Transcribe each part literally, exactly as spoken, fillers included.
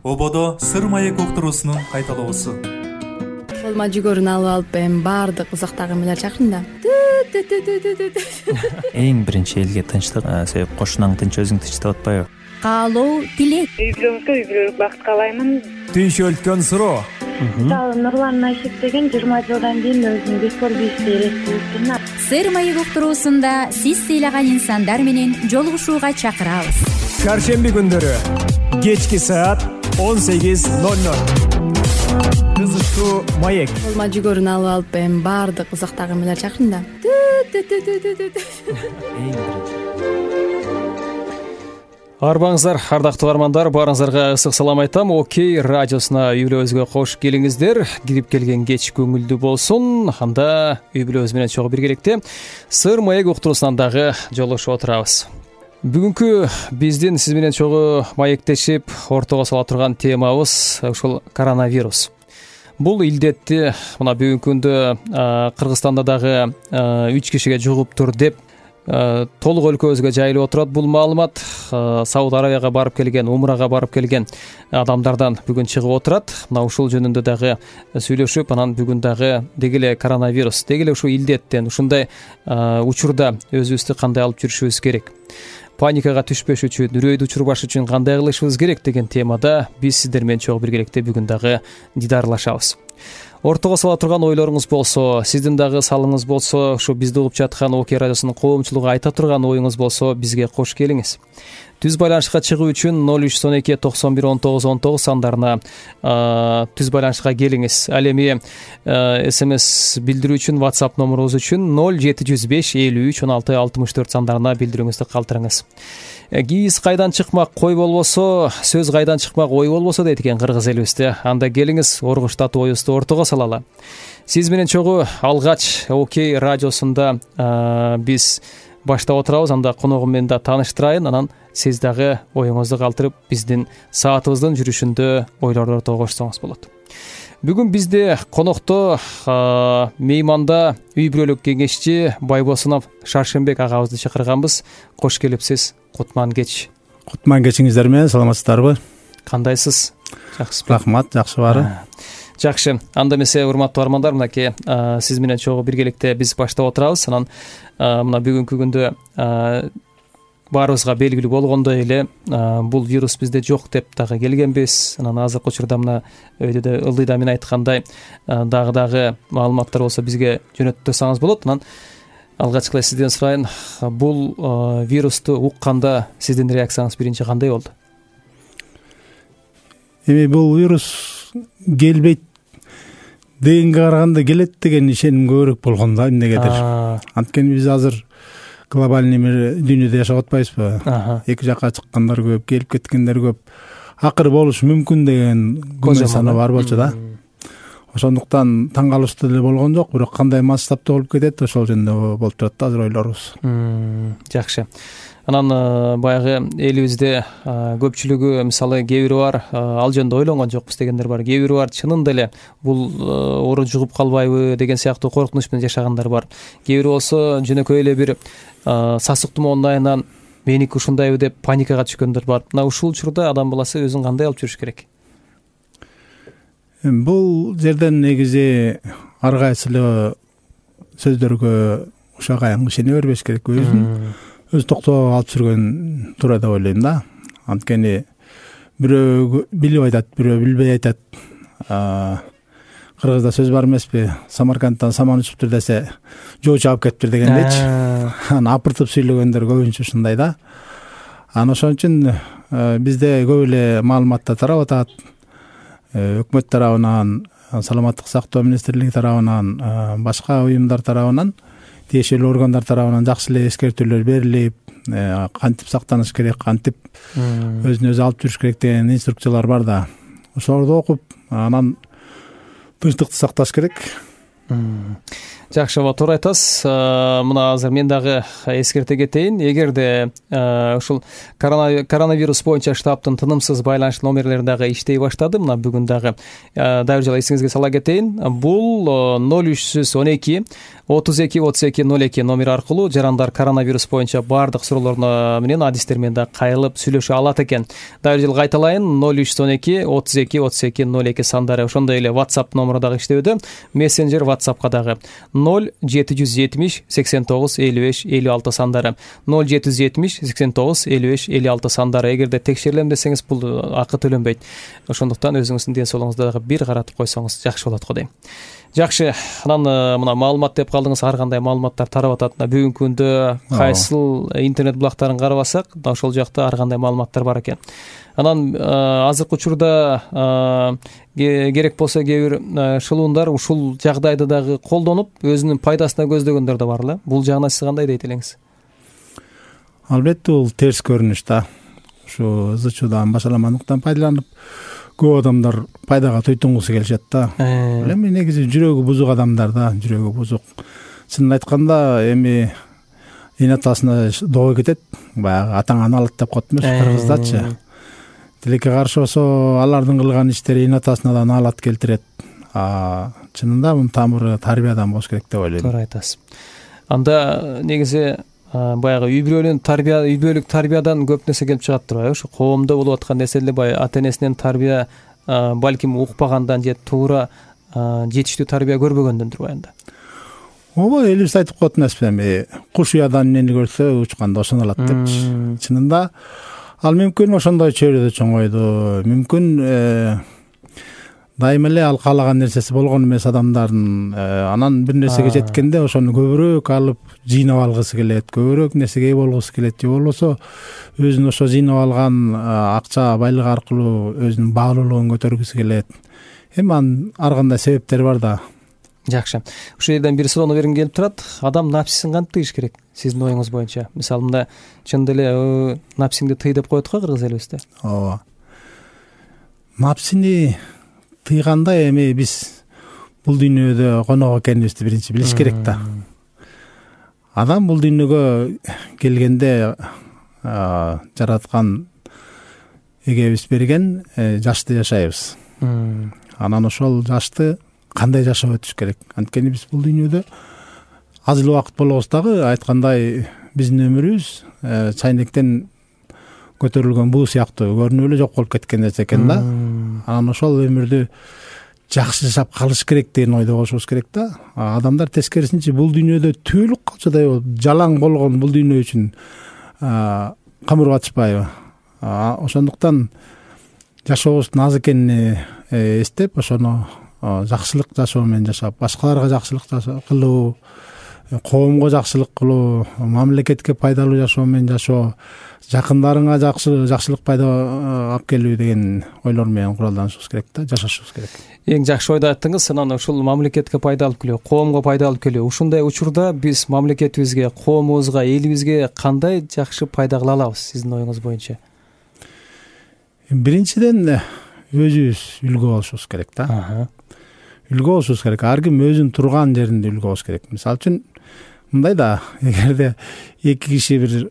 Ободо сыр маек уктуруусунун кайталоосу. Колума жүгөрүн алып алып эми баардык узактагы эмелер чакырдым да. Эң биринчи элге тынчтык, себеп кошунаң тынч, өзүң тынч деп атпайбы? Каалоо, тилек. Үй бүлөңүзгө үй бүлөлүк бакыт каалаймын. Түйшөлткөн суроо. Мисалы Нурлан Айшек деген жыйырма жылдан кийин өзүнүн бекор бийишти элестирүүсүн. Сыр маек уктуруусунда сиз сыйлаган инсандар менен жолугушууга чакырабыз. Чаршемби күндөрү кечки саат он сегиз ноль ноль. Кызыктуу маек. Колума жүгөрүн алып алып эми баардык узактагы эмелер чакырдым да. Арбаңыздар, ардактуу армандар, баарыңыздарга ысык салам айтам. Окей радиосуна үй бүлөбүзгө кош келиңиздер. Кирип келген кеч көңүлдүү болсун. Анда үй бүлөбүз менен чогуу биргеликте сыр маек уктуруусунан дагы жолугушуп отурабыз. Бүгүнкү биздин сиз менен чогуу маектешип ортого сала турган темабыз ушул коронавирус. Бул илдетти мына бүгүнкү күндө Кыргызстанда дагы үч кишиге жугуптур деп толук өлкөбүзгө жайылып отурат. Бул маалымат Сауд Арабияга барып келген, умрага барып келген адамдардан бүгүн чыгып отурат. Мына ушул жөнүндө дагы сүйлөшүп, анан бүгүн дагы деги эле коронавирус, деги эле ушул илдеттен, ушундай учурда өзүбүздү кандай алып жүрүшүбүз керек, паникага түшпөш үчүн, үрөйдү учурбаш үчүн кандай кылышыбыз керек деген темада биз сиздер менен чогуу биргеликте бүгүн дагы дидарлашабыз. Ортого сала турган ойлоруңуз болсо, сиздин дагы салыңыз болсо, ушу бизди угуп жаткан Окей радиосунун коомчулугу айта турган оюңуз болсо, бизге кош келиңиз. Түз байланышка чыгуу үчүн ноль үч он эки токсон бир он тогуз он тогуз сандарына түз байланышка келиңиз. Ал эми смс билдирүү үчүн WhatsApp номерубуз үчүн ноль жети жүз беш элүү үч он алты алтымыш төрт сандарына билдирүүңүздү калтырыңыз. Кийиз кайдан чыкмак кой болбосо, сөз кайдан чыкмак ой болбосо дейт экен кыргыз элибизде. Анда келиңиз, оргуштатуу оюбузду ортого салалы. Сиз менен чогуу алгач Окей радиосунда биз баштап отурабыз. Анда коногум менен да тааныштырайын, анан сиз дагы оюңузду калтырып биздин саатыбыздын жүрүшүндө ойлорду ортого кошсоңуз болот. Бүгүн бизде конокто мейманда үй бүлөлүк кеңешчи Байбосунов Шаршембек агабызды чакырганбыз. Кош келипсиз. Кутман кеч. Кутман кечиңиздер менен саламатсыздарбы? Кандайсыз? Жакшысызбы? Рахмат, жакшы баары. Жакшы. Анда эмесе урматтуу армандар, мынакей сиз менен чогуу биргеликте биз баштап отурабыз. Анан мына бүгүнкү күндө баарыбызга белгилүү болгондой эле бул вирус бизде жок деп дагы келгенбиз. Анан азыркы учурда мына өйдө ылдыйда мен айткандай дагы дагы маалыматтар болсо бизге жөнөтүп турсаңыз болот. Анан алгачкы эле сизден сурайын, бул вирусту укканда сиздин реакцияңыз биринчи кандай болду? Эми бул вирус келбейт дегенге караганда келет деген ишеним көбүрөөк болгон да эмнегедир. Анткени биз азыр глобальный дүйнөдө жашап атпайбызбы? Эки жакка чыккандар көп, келип кеткендер көп. Акыры болушу мүмкүн деген күмөн саны бар болчу да. Ошондуктан таң калыштуу деле болгон жок, бирок кандай масштабта болуп кетет, ошол жөнүндө болуп турат да азыр ойлорубуз. Жакшы. Анан баягы элибизде көпчүлүгү, мисалы кээ бири бар, ал жөнүндө ойлонгон жокпуз дегендер бар. Кээ бири бар, чынында эле бул оору жугуп калбайбы деген сыяктуу коркунуч менен жашагандар бар. Кээ бири болсо жөнөкөй эле бир сасык тумоонун айынан меники ушундайбы деп паникага түшкөндөр бар. Мына ушул учурда адам баласы өзүн кандай алып жүрүш керек? Бул жерден негизи ар кайсы эле сөздөргө ушак аяң ишене бербеш керек. Өзүн өз токтоо алып жүргөн туура деп ойлойм да. Анткени бирөө билип айтат, бирөө билбей айтат. Кыргызда сөз бар эмеспи? Самаркандтан саман учуптур десе, жоо чаап кетиптир дегендейчи. Аны апыртып сүйлөгөндөр көбүнчө ушундай да. Анан ошон үчүн бизде көп эле маалыматтар тарап атат. Өкмөт тарабынан, саламаттык сактоо министрлиги тарабынан, башка уюмдар тарабынан, тиешелүү органдар тарабынан жакшы эле эскертүүлөр берилип, кантип сактаныш керек, кантип өзүн өзү алып жүрүш керек деген инструкциялар бар да. Ошолорду окуп, анан тынчтыкты сакташ керек. жакшы, ооба, туура айтасыз. Мына азыр мен дагы эскерте кетейин. Эгерде ушул коронавирус боюнча штабтын тынымсыз байланыш номерлери дагы иштей баштады, мына бүгүн дагы дайыр жала эсиңизге сала кетейин. Бул ноль үч жүз он эки отуз эки отуз эки ноль эки номер аркылуу жарандар коронавирус боюнча баардык суроолор менен адистер менен дагы кайрылып сүйлөшө алат экен. Дайыр жыл кайталайын: ноль үч жүз он эки отуз эки отуз эки ноль эки сандары. Ошондой эле WhatsApp номеру дагы иштөөдө. Мессенджер WhatsAppка дагы ноль жети жүз жетимиш сексен тогуз элүү беш элүү алты сандары. ноль жети жүз жетимиш сексен тогуз элүү беш элүү алты сандары. Эгерде текшерилем десеңиз, бул акы төлөнбөйт. Ошондуктан өзүңүздүн ден соолугуңузду дагы бир каратып койсоңуз жакшы болот го дейм. Жакшы, анан мына маалымат деп калдыңыз, ар кандай маалыматтар тарап атат. Бүгүнкү күндө кайсыл интернет булактарын карабасак, ошол жакта ар кандай маалыматтар бар экен. Анан азыркы учурда керек болсо кээ бир шылуундар ушул жагдайды дагы колдонуп, өзүнүн пайдасына көздөгөндөр да бар эле. Бул жагына сиз кандай дейт элеңиз? Албетте бул терс көрүнүш да. Ушу ызычуудан башаламандыктан пайдаланып көп адамдар пайдага туйтунгусу келишет да. Эми негизи жүрөгү бузук адамдар да, жүрөгү бузук. Чынын айтканда эми эне атасына доо кетет, баягы атаңаны алат деп коет эмес кыргыздачы. Тилекке каршы болсо алардын кылган иштери эне атасына да наалат келтирет. А чынында мунун тамыры тарбиядан болуш керек деп ойлойм. Туура айтасыз. Анда негизи баягы үй бүлөлүк тарбия, үй бүлөлүк тарбиядан көп нерсе келип чыгат турбайбы? Ушу коомдо болуп аткан нерселер баягы ата энесинен тарбия балким укпагандан же туура жетиштүү тарбия көрбөгөндөн турбайбы? Ооба, элибиз айтып коет эмеспи, эми куш уядан эмнени көрсө учканда ошону алат депчи. Чынында ал мүмкүн ошондой чөйрөдө чоңойду, мүмкүн дайыма эле ал каалаган нерсеси болгон эмес адамдардын. Анан бир нерсеге жеткенде ошону көбүрөөк алып жыйнап алгысы келет, көбүрөөк нерсеге ээ болгусу келет, же болбосо өзүнүн ошо жыйнап алган акча байлыгы аркылуу өзүнүн баалуулугун көтөргүсү келет. Эми анын ар кандай себептери бар да. Жакшы. Ушул жерден бир суроону бергим келип турат. Адам напсисин кантип тыйыш керек сиздин оюңуз боюнча? Мисалы, мында чындап эле напсиңди тый деп коет го кыргыз элибизде. Ооба. Напсини тыйганда эми биз бул дүйнөдө конок экенибизди биринчи билиш керек да. Адам бул дүйнөгө келгенде жараткан эгебиз берген жашты жашайбыз. Анан ошол жашты кандай жашап өтүш керек? Анткени биз бул дүйнөдө аз эле убакыт болобуз дагы, айткандай биздин өмүрүбүз чайнектен көтөрүлгөн буу сыяктуу көрүнүп эле жок болуп кеткен нерсе экен да. Анан ошол өмүрдү жакшы жашап калыш керек деген ойдо болушубуз керек да. Адамдар тескерисинче бул дүйнөдө түөлүк калчадай болуп, жалаң болгон бул дүйнө үчүн камыр батышпайбы? Ошондуктан жашообуздун аз экенин эстеп, ошону жакшылык жашоо менен жашап, башкаларга жакшылык кылуу, коомго жакшылык кылуу, мамлекетке пайдалуу жашоо менен жашоо, жакындарыңа жакшылык пайда алып келүү деген ойлор менен куралданышыбыз керек да, жашашыбыз керек. Эң жакшы ойду айттыңыз. Анан ушул мамлекетке пайда алып келүү, коомго пайда алып келүү. Ушундай учурда биз мамлекетибизге, коомубузга, элибизге кандай жакшы пайда кыла алабыз сиздин оюңуз боюнча? Биринчиден өзүбүз үлгү болушубуз керек да. Үлгү болушубуз керек. Ар ким өзүнүн турган жеринде үлгү болуш керек. Мисалы үчүн мындай да, эгерде эки киши бир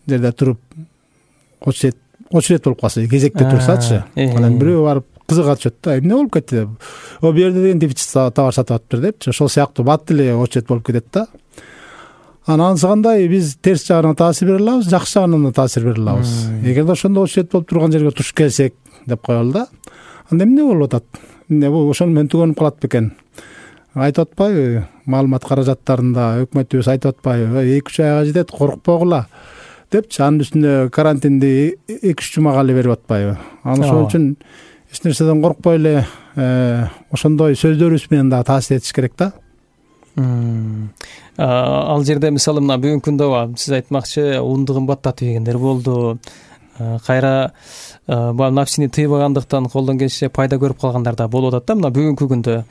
жерде туруп очерет очерет болуп калса, кезекте турсачы, анан бирөө барып кызыга түшөт да, эмне болуп кетти деп. О, бул жерде деген дефицит товар сатып атыптыр депчи. Ошол сыяктуу бат эле очерет болуп кетет да. Анан ансыгандай биз терс жагынан таасир бере алабыз, жакшы жагынан да таасир бере алабыз. Эгерде ошондо очерет болуп турган жерге туш келсек деп коелу да. Анда эмне болуп атат? Эмне бул ошону менен түгөнүп калат бекен? Айтып атпайбы? Маалымат каражаттарында өкмөтүбүз айтып атпайбы? эки үч айга жетет, коркпогула депчи. Анын үстүнө карантинди эки үч жумага эле берип атпайбы? Анан ошол үчүн эч нерседен коркпой эле ошондой сөздөрүбүз менен да таасир этиш керек да. Ал жерде мисалы мына бүгүнкү күндө сиз айтмакчы унду кымбаттатып жегендер болду. Кайра бул напсини тыйбагандыктан колдон келишинче пайда көрүп калгандар да болуп атат да. Мына бүгүнкү күндө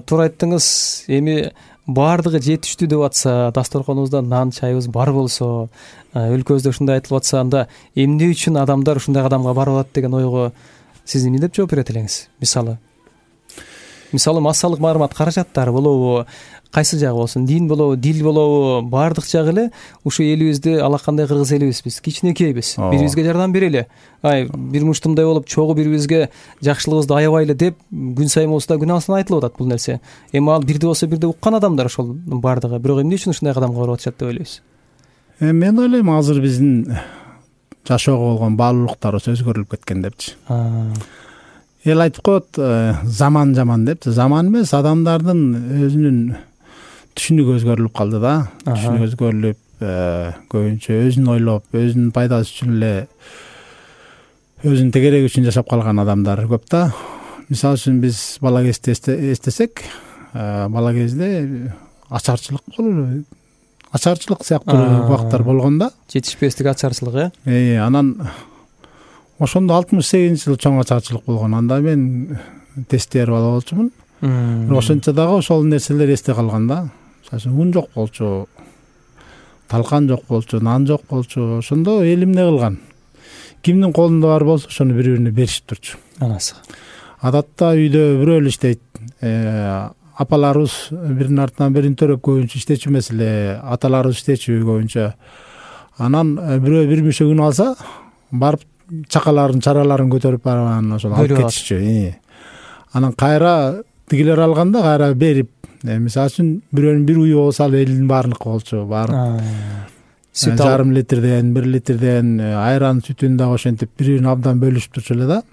туура айттыңыз. Эми баардыгы жетиштүү деп атса, дасторконубузда нан, чайыбыз бар болсо, өлкөбүздө ушундай айтылып атса, анда эмне үчүн адамдар ушундай кадамга барып атат деген ойго сиз эмне деп жооп берет элеңиз? Мисалы мисалы массалык мааримат каражаттары болобу, кайсы жагы болсун, дин болобу, дил болобу, баардык жагы эле ушу элибизди алакандай кыргыз элибиз, биз кичинекейбиз, бири бирибизге жардам берели, ай бир муштумдай болуп чогуу бири бирибизге жакшылыгыбызды аябайлы деп күн сайын болсо да күн абасан айтылып атат бул нерсе. Эми ал бирде болсо бирде уккан адамдар ошол баардыгы, бирок эмне үчүн ушундай кадамга барып атышат деп ойлойсуз? Мен ойлойм азыр биздин жашоого болгон баалуулуктарыбыз өзгөрүлүп кеткен депчи. Эл айтып коет, заман жаман депчи. Заман эмес, адамдардын өзүнүн түшүнүгү өзгөрүлүп калды да. Түшүнүгү өзгөрүлүп, көбүнчө өзүн ойлоп, өзүнүн пайдасы үчүн эле, өзүнүн тегереги үчүн жашап калган адамдар көп да. Мисалы үчүн биз бала кезде эстесек, бала кезде ачарчылык болду. Ачарчылык сыяктуу убактар болгон да. Жетишпестик ачарчылык, э? Э, анан ошондо алтымыш сегизинчи жылы чоң ачарчылык болгон. Анда мен тестер бала болчумун. Ошончо дагы ошол нерселер эсте калган да. Мисалы үчүн ун жок болчу, талкан жок болчу, нан жок болчу. Ошондо эл эмне кылган? Кимдин колунда бар болсо ошону бири-бирине беришип турчу. Анасы. Адатта үйдө бирөө эле иштейт. Апаларыбыз биринин артынан бирин төрөп көбүнчө иштечү эмес эле, аталарыбыз иштечү көбүнчө. Анан бирөө бир мүшөгүн алса, барып чакаларын, чараларын көтөрүп барып ошол алып кетишчү. Анан кайра тигилер алганда кайра берип, мисалы үчүн бирөөнүн бир уyu болсо ал элдин баарыныкы болчу, барып жарым литрден, бир литрден айран сүтүн дагы ошентип бири-бирин абдан бөлүшүп турчу эле да.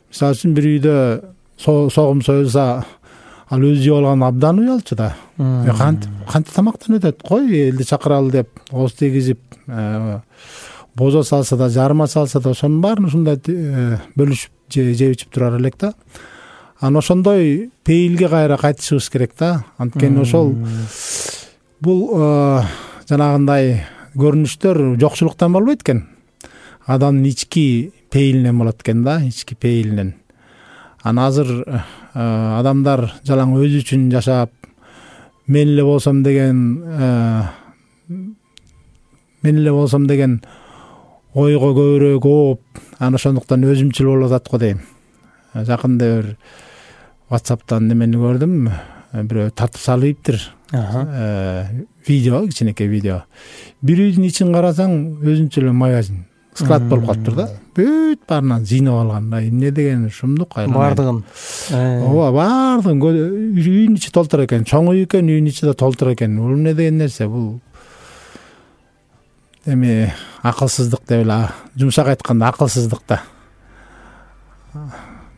Мисалы үчүн бир үйдө согум союлса, ал өзү жеп алган абдан уялчу да. Кантип кантип тамактан өтөт? Кой элди чакыралы деп, ооз тийгизип, бозо салса да, жарма салса да, ошонун баарын ушундай бөлүшүп жеп ичип турар элек да. Анан ошондой пейилге кайра кайтышыбыз керек да. Анткени ошол бул жанагындай көрүнүштөр жокчулуктан болбойт экен. Адамдын ички пейилинен болот экен да, ички пейилинен. Анан азыр адамдар жалаң өзү үчүн жашап, мен эле болсом деген мен эле болсом деген ойго көбүрөөк ооп, анан ошондуктан өзүмчүл болуп атат го дейм. Жакында бир WhatsApp'тан немени көрдүм, бирөө тартып салыптыр. Видео, кичинекей видео. Бир үйдүн ичин карасаң, өзүнчө эле магазин, склад болуп калыптыр да. Бүт баарынан жыйнап алган. Эмне деген шумдук айланайын. Бардыгын. Ооба, бардыгын үйдүн ичи толтур экен. Чоң үй экен, үйдүн ичи да толтур экен. Бул эмне деген нерсе? Бул эми акылсыздык деп эле, жумшак айтканда акылсыздык да.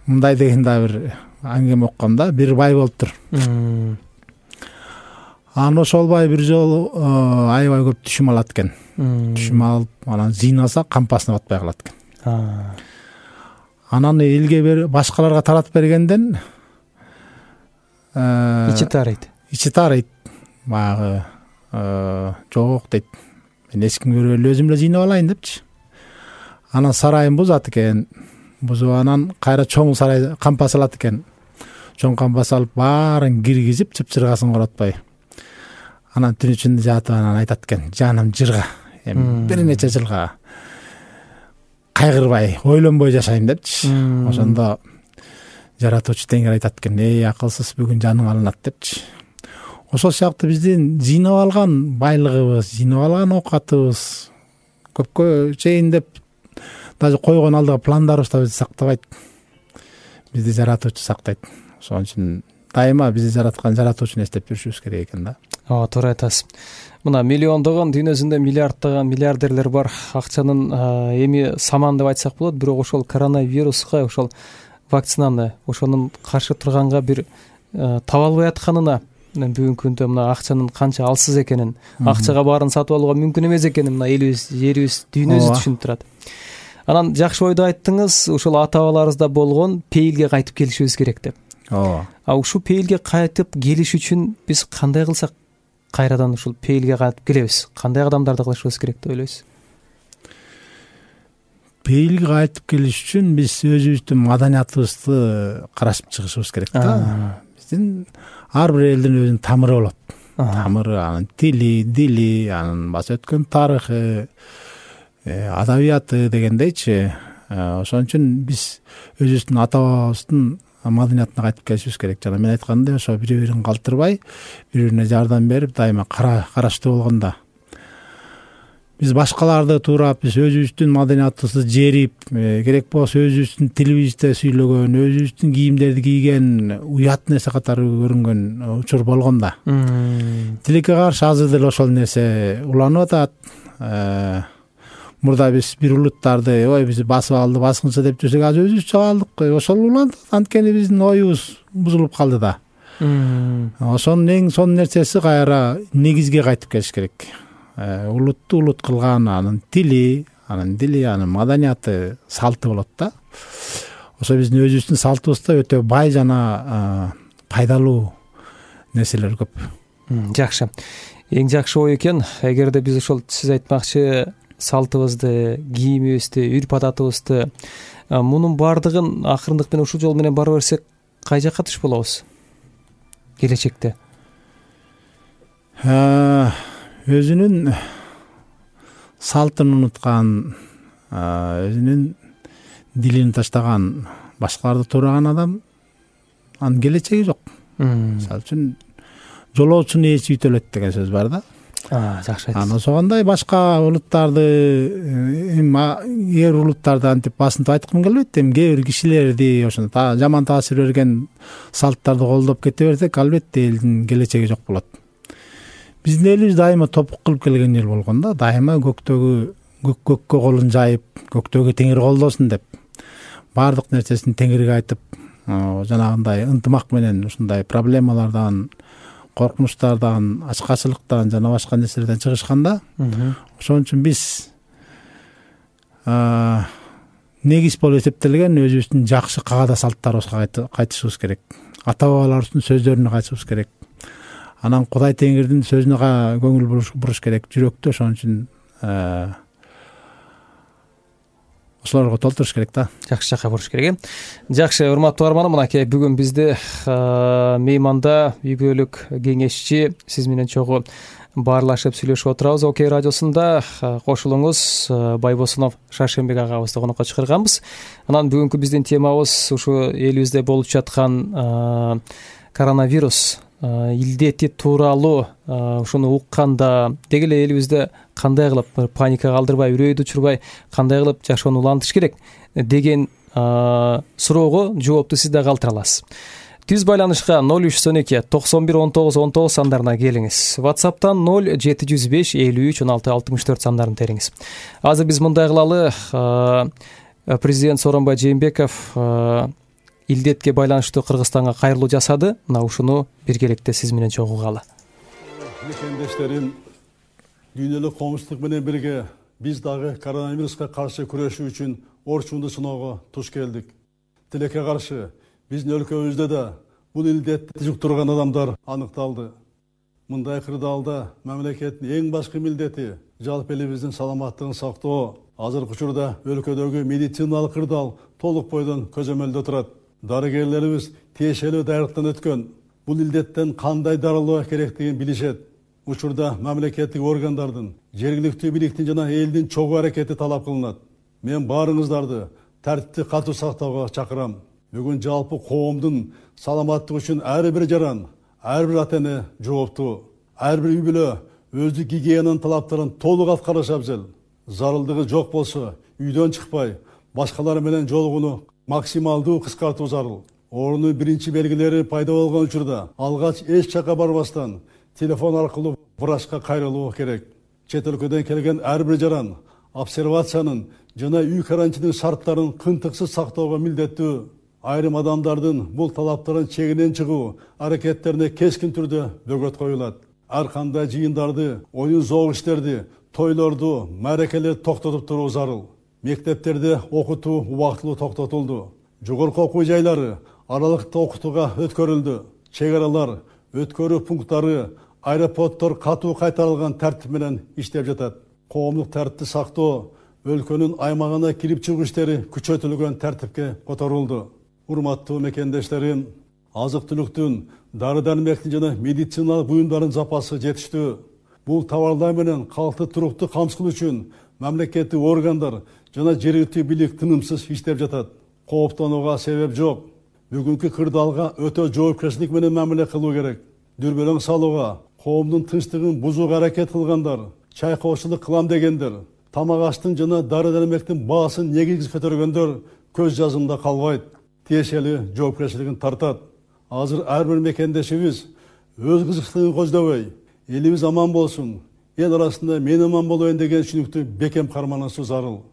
Мындай деген да бир аңгеме окком да, бир бай болуптур. Анан ошол бай бир жолу аябай көп түшүм алат экен. Түшүм алып, анан зыйнаса кампасына батпай калат экен. Анан элге берип, башкаларга таратып бергенден ичи таарыйт. Ичи таарыйт. Баягы жок дейт. Мен эч кимге бербей эле өзүм эле жыйнап алайын депчи. Анан сарайын бузат экен. Бузуп анан кайра чоң сарай кампас алат экен. Чоң кампас алып баарын киргизип, чыпчыргасын коротпой. Анан түн ичинде жатып анан айтат экен, жаным жырга, эми бир нече жылга кайгырбай, ойлонбой жашайм депчи. Ошондо жаратуучу Теңир айтат экен, эй акылсыз, бүгүн жаның алынат депчи. Ошол сыяктуу биздин жыйнап алган байлыгыбыз, жыйнап алган оокатыбыз көпкө чейин деп даже койгон алдыга пландарыбыз да бизди сактабайт. Бизди жаратуучу сактайт. Ошон үчүн дайыма бизди жараткан жаратуучуну эстеп жүрүшүбүз керек экен да. Ооба, туура айтасыз. Мына миллиондогон, дүйнө жүзүндө миллиарддаган миллиардерлер бар. Акчанын эми саман деп айтсак болот, бирок ошол коронавируска, ошол вакцинаны, ошонун каршы турганга бир таба албай атканына, бүгүнкү күндө мына акчанын канча алсыз экенин, акчага баарын сатып алууга мүмкүн эмес экенин мына элибиз, жерибиз, дүйнөбүз түшүнүп турат. Анан жакшы ойду айттыңыз, ошол ата-бабаларыбызда болгон пейилге кайтып келишибиз керек деп. Ооба. А ушул пейилге кайтып келиш үчүн биз кандай кылсак кайрадан ушул пейилге кайтып келебиз? Кандай кадамдарды кылышыбыз керек деп ойлойсуз? Пейилге кайтып келиш үчүн биз өзүбүздүн маданиятыбызды карашып чыгышыбыз керек да. Биздин ар бир элдин өзүнүн тамыры болот. Тамыры, анын тили, дили, анын баса өткөн тарыхы, адабияты дегендейчи. Ошон үчүн биз өзүбүздүн ата-бабабыздын маданиятына кайтып келишибиз керек. Жана мен айткандай, ошо бири бирин калтырбай, бири бирине жардам берип, дайыма караштуу болгондо биз башкаларды туурап, биз өзүбүздүн маданиятыбызды жерип, керек болсо өзүбүздүн тилибизде сүйлөгөн, өзүбүздүн кийимдерди кийген уят нерсе катары көрүнгөн учур болгондо тилекке каршы азыр деле ошол нерсе уланып атат. Мурда биз бир улуттарды ой биз басып алды, баскынчы деп жүрсөк, азыр өзүбүз чогулдук. Ошол улантат, анткени биздин оюбуз бузулуп калды да. Ошонун эң сонун нерсеси кайра негизге кайтып келиш керек. Улутту улут кылган анын тили, анын дили, анын маданияты, салты болот да. Ошо биздин өзүбүздүн салтыбызда өтө бай жана пайдалуу нерселер көп. Жакшы. Эң жакшы ой экен. Эгерде биз ошол сиз айтмакчы салтыбызды, кийимибизди, үрп адатыбызды, мунун баардыгын акырындык менен ушул жол менен бара берсек, кай жакка түш болобуз келечекте? Өзүнүн салтын унуткан, өзүнүн дилин таштаган, башкаларды туураган адам анын келечеги жок. Мисалы үчүн жолоочунун ээси үтөлөт деген сөз бар да. Жакшы айттыңыз. Анан ошондой башка улуттарды, эми эр улуттарды антип басынтып айткым келбейт, эми кээ бир кишилерди ошондо жаман таасир берген салттарды колдоп кете берсек, албетте элдин келечеги жок болот. Биздин элибиз дайыма топук кылып келген эл болгон да, дайыма көктөгү көккө колун жайып, көктөгү теңир колдосун деп баардык нерсесин теңирге айтып, жанагындай ынтымак менен ушундай проблемалардан, коркунучтардан, ачкачылыктан жана башка нерселерден чыгышканда, ошон үчүн биз негиз болуп эсептелген өзүбүздүн жакшы каада салттарыбызга кайтышыбыз керек. Ата бабаларыбыздын сөздөрүнө кайтышыбыз керек. Анан Кудай Теңирдин сөзүнө көңүл буруш керек, жүрөктү ошон үчүн ошолорго толтуруш керек да. Жакшы жакка буруш керек. Жакшы, урматтуу арманым, мынакей бүгүн бизде мейманда үй бүлөлүк кеңешчи сиз менен чогуу баарлашып сүйлөшүп отурабыз. Окей радиосунда кошулуңуз, Байбосунов Шаршембек агабызды конокко чакырганбыз. Анан бүгүнкү биздин темабыз ушу элибизде болуп жаткан коронавирус илдети тууралуу. Ушуну укканда деги эле элибизде кандай кылып паника калтырбай, үрөйдү учурбай, кандай кылып жашоону улантыш керек деген суроого жоопту сиз да калтыра аласыз. Түз байланышка ноль үч жүз он эки токсон бир он тогуз он тогуз сандарына келиңиз. WhatsApp'тан ноль жети жүз беш элүү үч он алты алтымыш төрт сандарын териңиз. Азыр биз мындай кылалы, президент Сооронбай Жээнбеков илдетке байланыштуу Кыргызстанга кайрылуу жасады. Мына ушуну биргеликте сиз менен чогуу угалы. Мекендештерим, дүйнөлүк коомчулук менен бирге биз дагы коронавируска каршы күрөшүү үчүн орчунду сыноого туш келдик. Тилекке каршы биздин өлкөбүздө да бул илдетти жуктурган адамдар аныкталды. Мындай кырдаалда мамлекеттин эң башкы милдети жалпы элибиздин саламаттыгын сактоо. Азыркы учурда өлкөдөгү медициналык кырдаал толук бойдон көзөмөлдө турат. Дарыгерлерибиз тиешелүү даярдыктан өткөн. Бул илдеттен кандай дарылоо керектигин билишет. Учурда мамлекеттик органдардын, жергиликтүү бийликтин жана элдин чогуу аракети талап кылынат. Мен баарыңыздарды тартипти катуу сактоого чакырам. Бүгүн жалпы коомдун саламаттыгы үчүн ар бир жаран, ар бир ата-эне жооптуу. Ар бир үй бүлө өздүк гигиенанын талаптарын толук аткарышы абзел. Зарылдыгы жок болсо, үйдөн чыкпай, башкалар менен жолугууну максималдуу кыскартуу зарыл. Оорунун биринчи белгилери пайда болгон учурда алгач эч жакка барбастан телефон аркылуу врачка кайрылуу керек. Чет өлкөдөн келген ар бир жаран обсервациянын жана үй карантинин шарттарын кынтыксыз сактоого милдеттүү. Айрым адамдардын бул талаптарын чегинен чыгуу аракеттерине кескин түрдө бөгөт коюлат. Ар кандай жыйындарды, оюн зоок иштерди, тойлорду, мааракелерди токтотуп туруу зарыл. Мектептерде окутуу убактылуу токтотулду. Жогорку окуу жайлары аралыкта окутууга өткөрүлдү. Чек аралар, өткөрүү пункттары, аэропорттор катуу кайтарылган тартип менен иштеп жатат. Коомдук тартипти сактоо, өлкөнүн аймагына кирип чыгуу иштери күчөтүлгөн тартипке которулду. Урматтуу мекендештерим, азык-түлүктүн, дары-дармектин жана медициналык буюмдардын запасы жетиштүү. Бул товарлар менен калкты туруктуу камсыз үчүн мамлекеттик органдар жана жергиликтүү бийлик тынымсыз иштеп жатат. Кооптонууга себеп жок. Бүгүнкү кырдаалга өтө жоопкерчилик менен мамиле кылуу керек. Дүрбөлөң салууга, коомдун тынчтыгын бузууга аракет кылгандар, чайкоочулук кылам дегендер, тамак аштын жана дары дармектин баасын негизсиз көтөргөндөр көз жазымда калбайт, тиешелүү жоопкерчилигин тартат. Азыр ар бир мекендешибиз өз кызыкчылыгын көздөбөй, элибиз аман болсун, эл арасында мен аман болоюн деген түшүнүктү бекем карманышуу зарыл.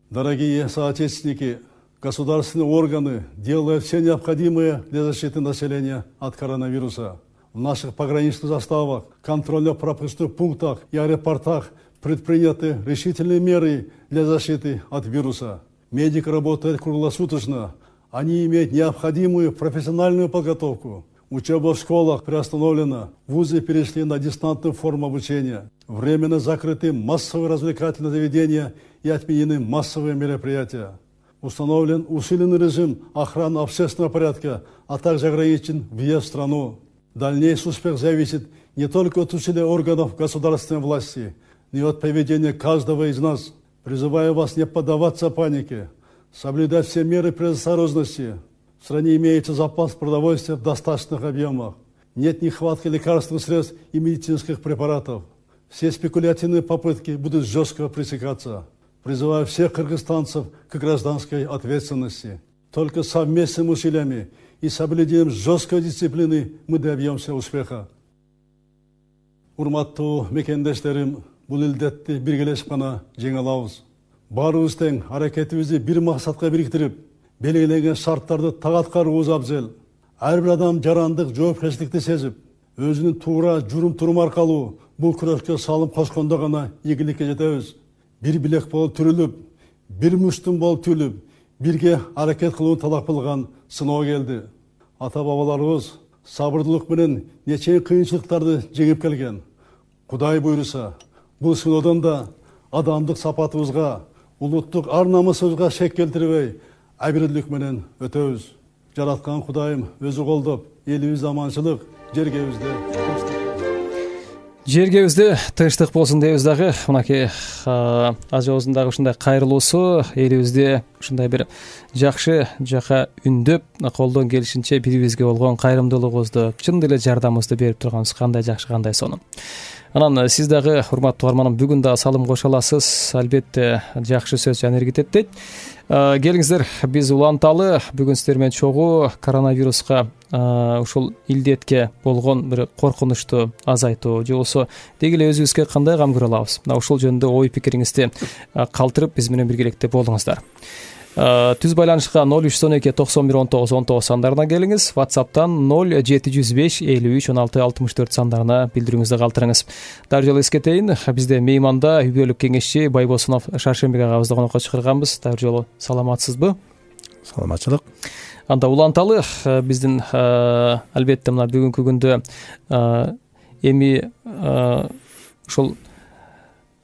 Дорогие соотечественники, государственные органы делают все необходимое для защиты населения от коронавируса. В наших пограничных заставах, контрольно-пропускных пунктах и аэропортах предприняты решительные меры для защиты от вируса. Медики работают круглосуточно. Они имеют необходимую профессиональную подготовку. Учеба в школах приостановлена. Вузы перешли на дистантную форму обучения. Временно закрыты массовые развлекательные заведения и отменены массовые мероприятия. Установлен усиленный режим охраны общественного порядка, а также ограничен въезд в страну. Дальнейший успех зависит не только от усилий органов государственной власти, но и от поведения каждого из нас. Призываю вас не поддаваться панике, соблюдать все меры предосторожности. В стране имеется запас продовольствия в достаточных объемах. Нет нехватки лекарственных средств и медицинских препаратов. Все спекулятивные попытки будут жестко пресекаться. Призываю всех кыргызстанцев к гражданской ответственности. Только совместными усилиями и соблюдением жесткой дисциплины мы добьемся успеха. Урматтуу мекендештерим, бул илдетти биргелешип гана жеңе алабыз. Баарыбыз тең аракетибизди бир максатка бириктирип, белгиленген шарттарды так аткарууубуз абзел. Ар бир адам жарандык жоопкерчиликти сезип, өзүнүн туура журум-турум аркылуу бул күрөшкө салым кошкондо гана ийгиликке жетебиз. Бир билек болуп түрүлүп, бир муштум болуп түлүп, бирге аракет кылууну талап кылган сыноо келди. Ата-бабаларыбыз сабырдуулук менен нече кыйынчылыктарды жеңип келген. Кудай буйруса, бул сыноодон да адамдык сапатыбызга, улуттук ар-намысыбызга шек келтирбей, абийирлик менен өтөбүз. Жараткан Кудайым өзү колдоп, элибизде аманчылык, жергебизде тынчтык. Жергебизде тынчтык болсун дейбиз дагы. Мынакей ажыбыздын дагы ушундай кайрылуусу элибизде ушундай бир жакшы жака үндөп, колдон келишинче бири-бирибизге болгон кайрымдуулугубузду, чын деле жардамыбызды берип турганыбыз кандай жакшы, кандай сонун. Анан сиз дагы, урматтуу угарманым, бүгүн да салым кошо аласыз. Албетте жакшы сөз жана аракет дейт. Келиңиздер, биз уланталы бүгүн сиздер менен чогуу коронавируска, ушул илдетке болгон бир коркунучту азайтуу же болбосо деги эле өзүбүзгө кандай кам көрө алабыз? Мына ушул жөнүндө ой пикириңизди калтырып биз менен биргеликте болуңуздар. Түз байланышка ноль үч он эки токсон бир он тогуз он тогуз сандарына келиңиз. WhatsApp'тан ноль жети жүз беш элүү үч он алты алтымыш төрт сандарына билдирүүңүздү калтырыңыз. Дары жолу эскертейин, бизде мейманда үй бүлөлүк кеңешчи Байбосунов Шаршембек агабызды конокко чакырганбыз. Дары жолу саламатсызбы? Саламатчылык. Анда уланталы биздин албетте мына бүгүнкү күндө эми ушул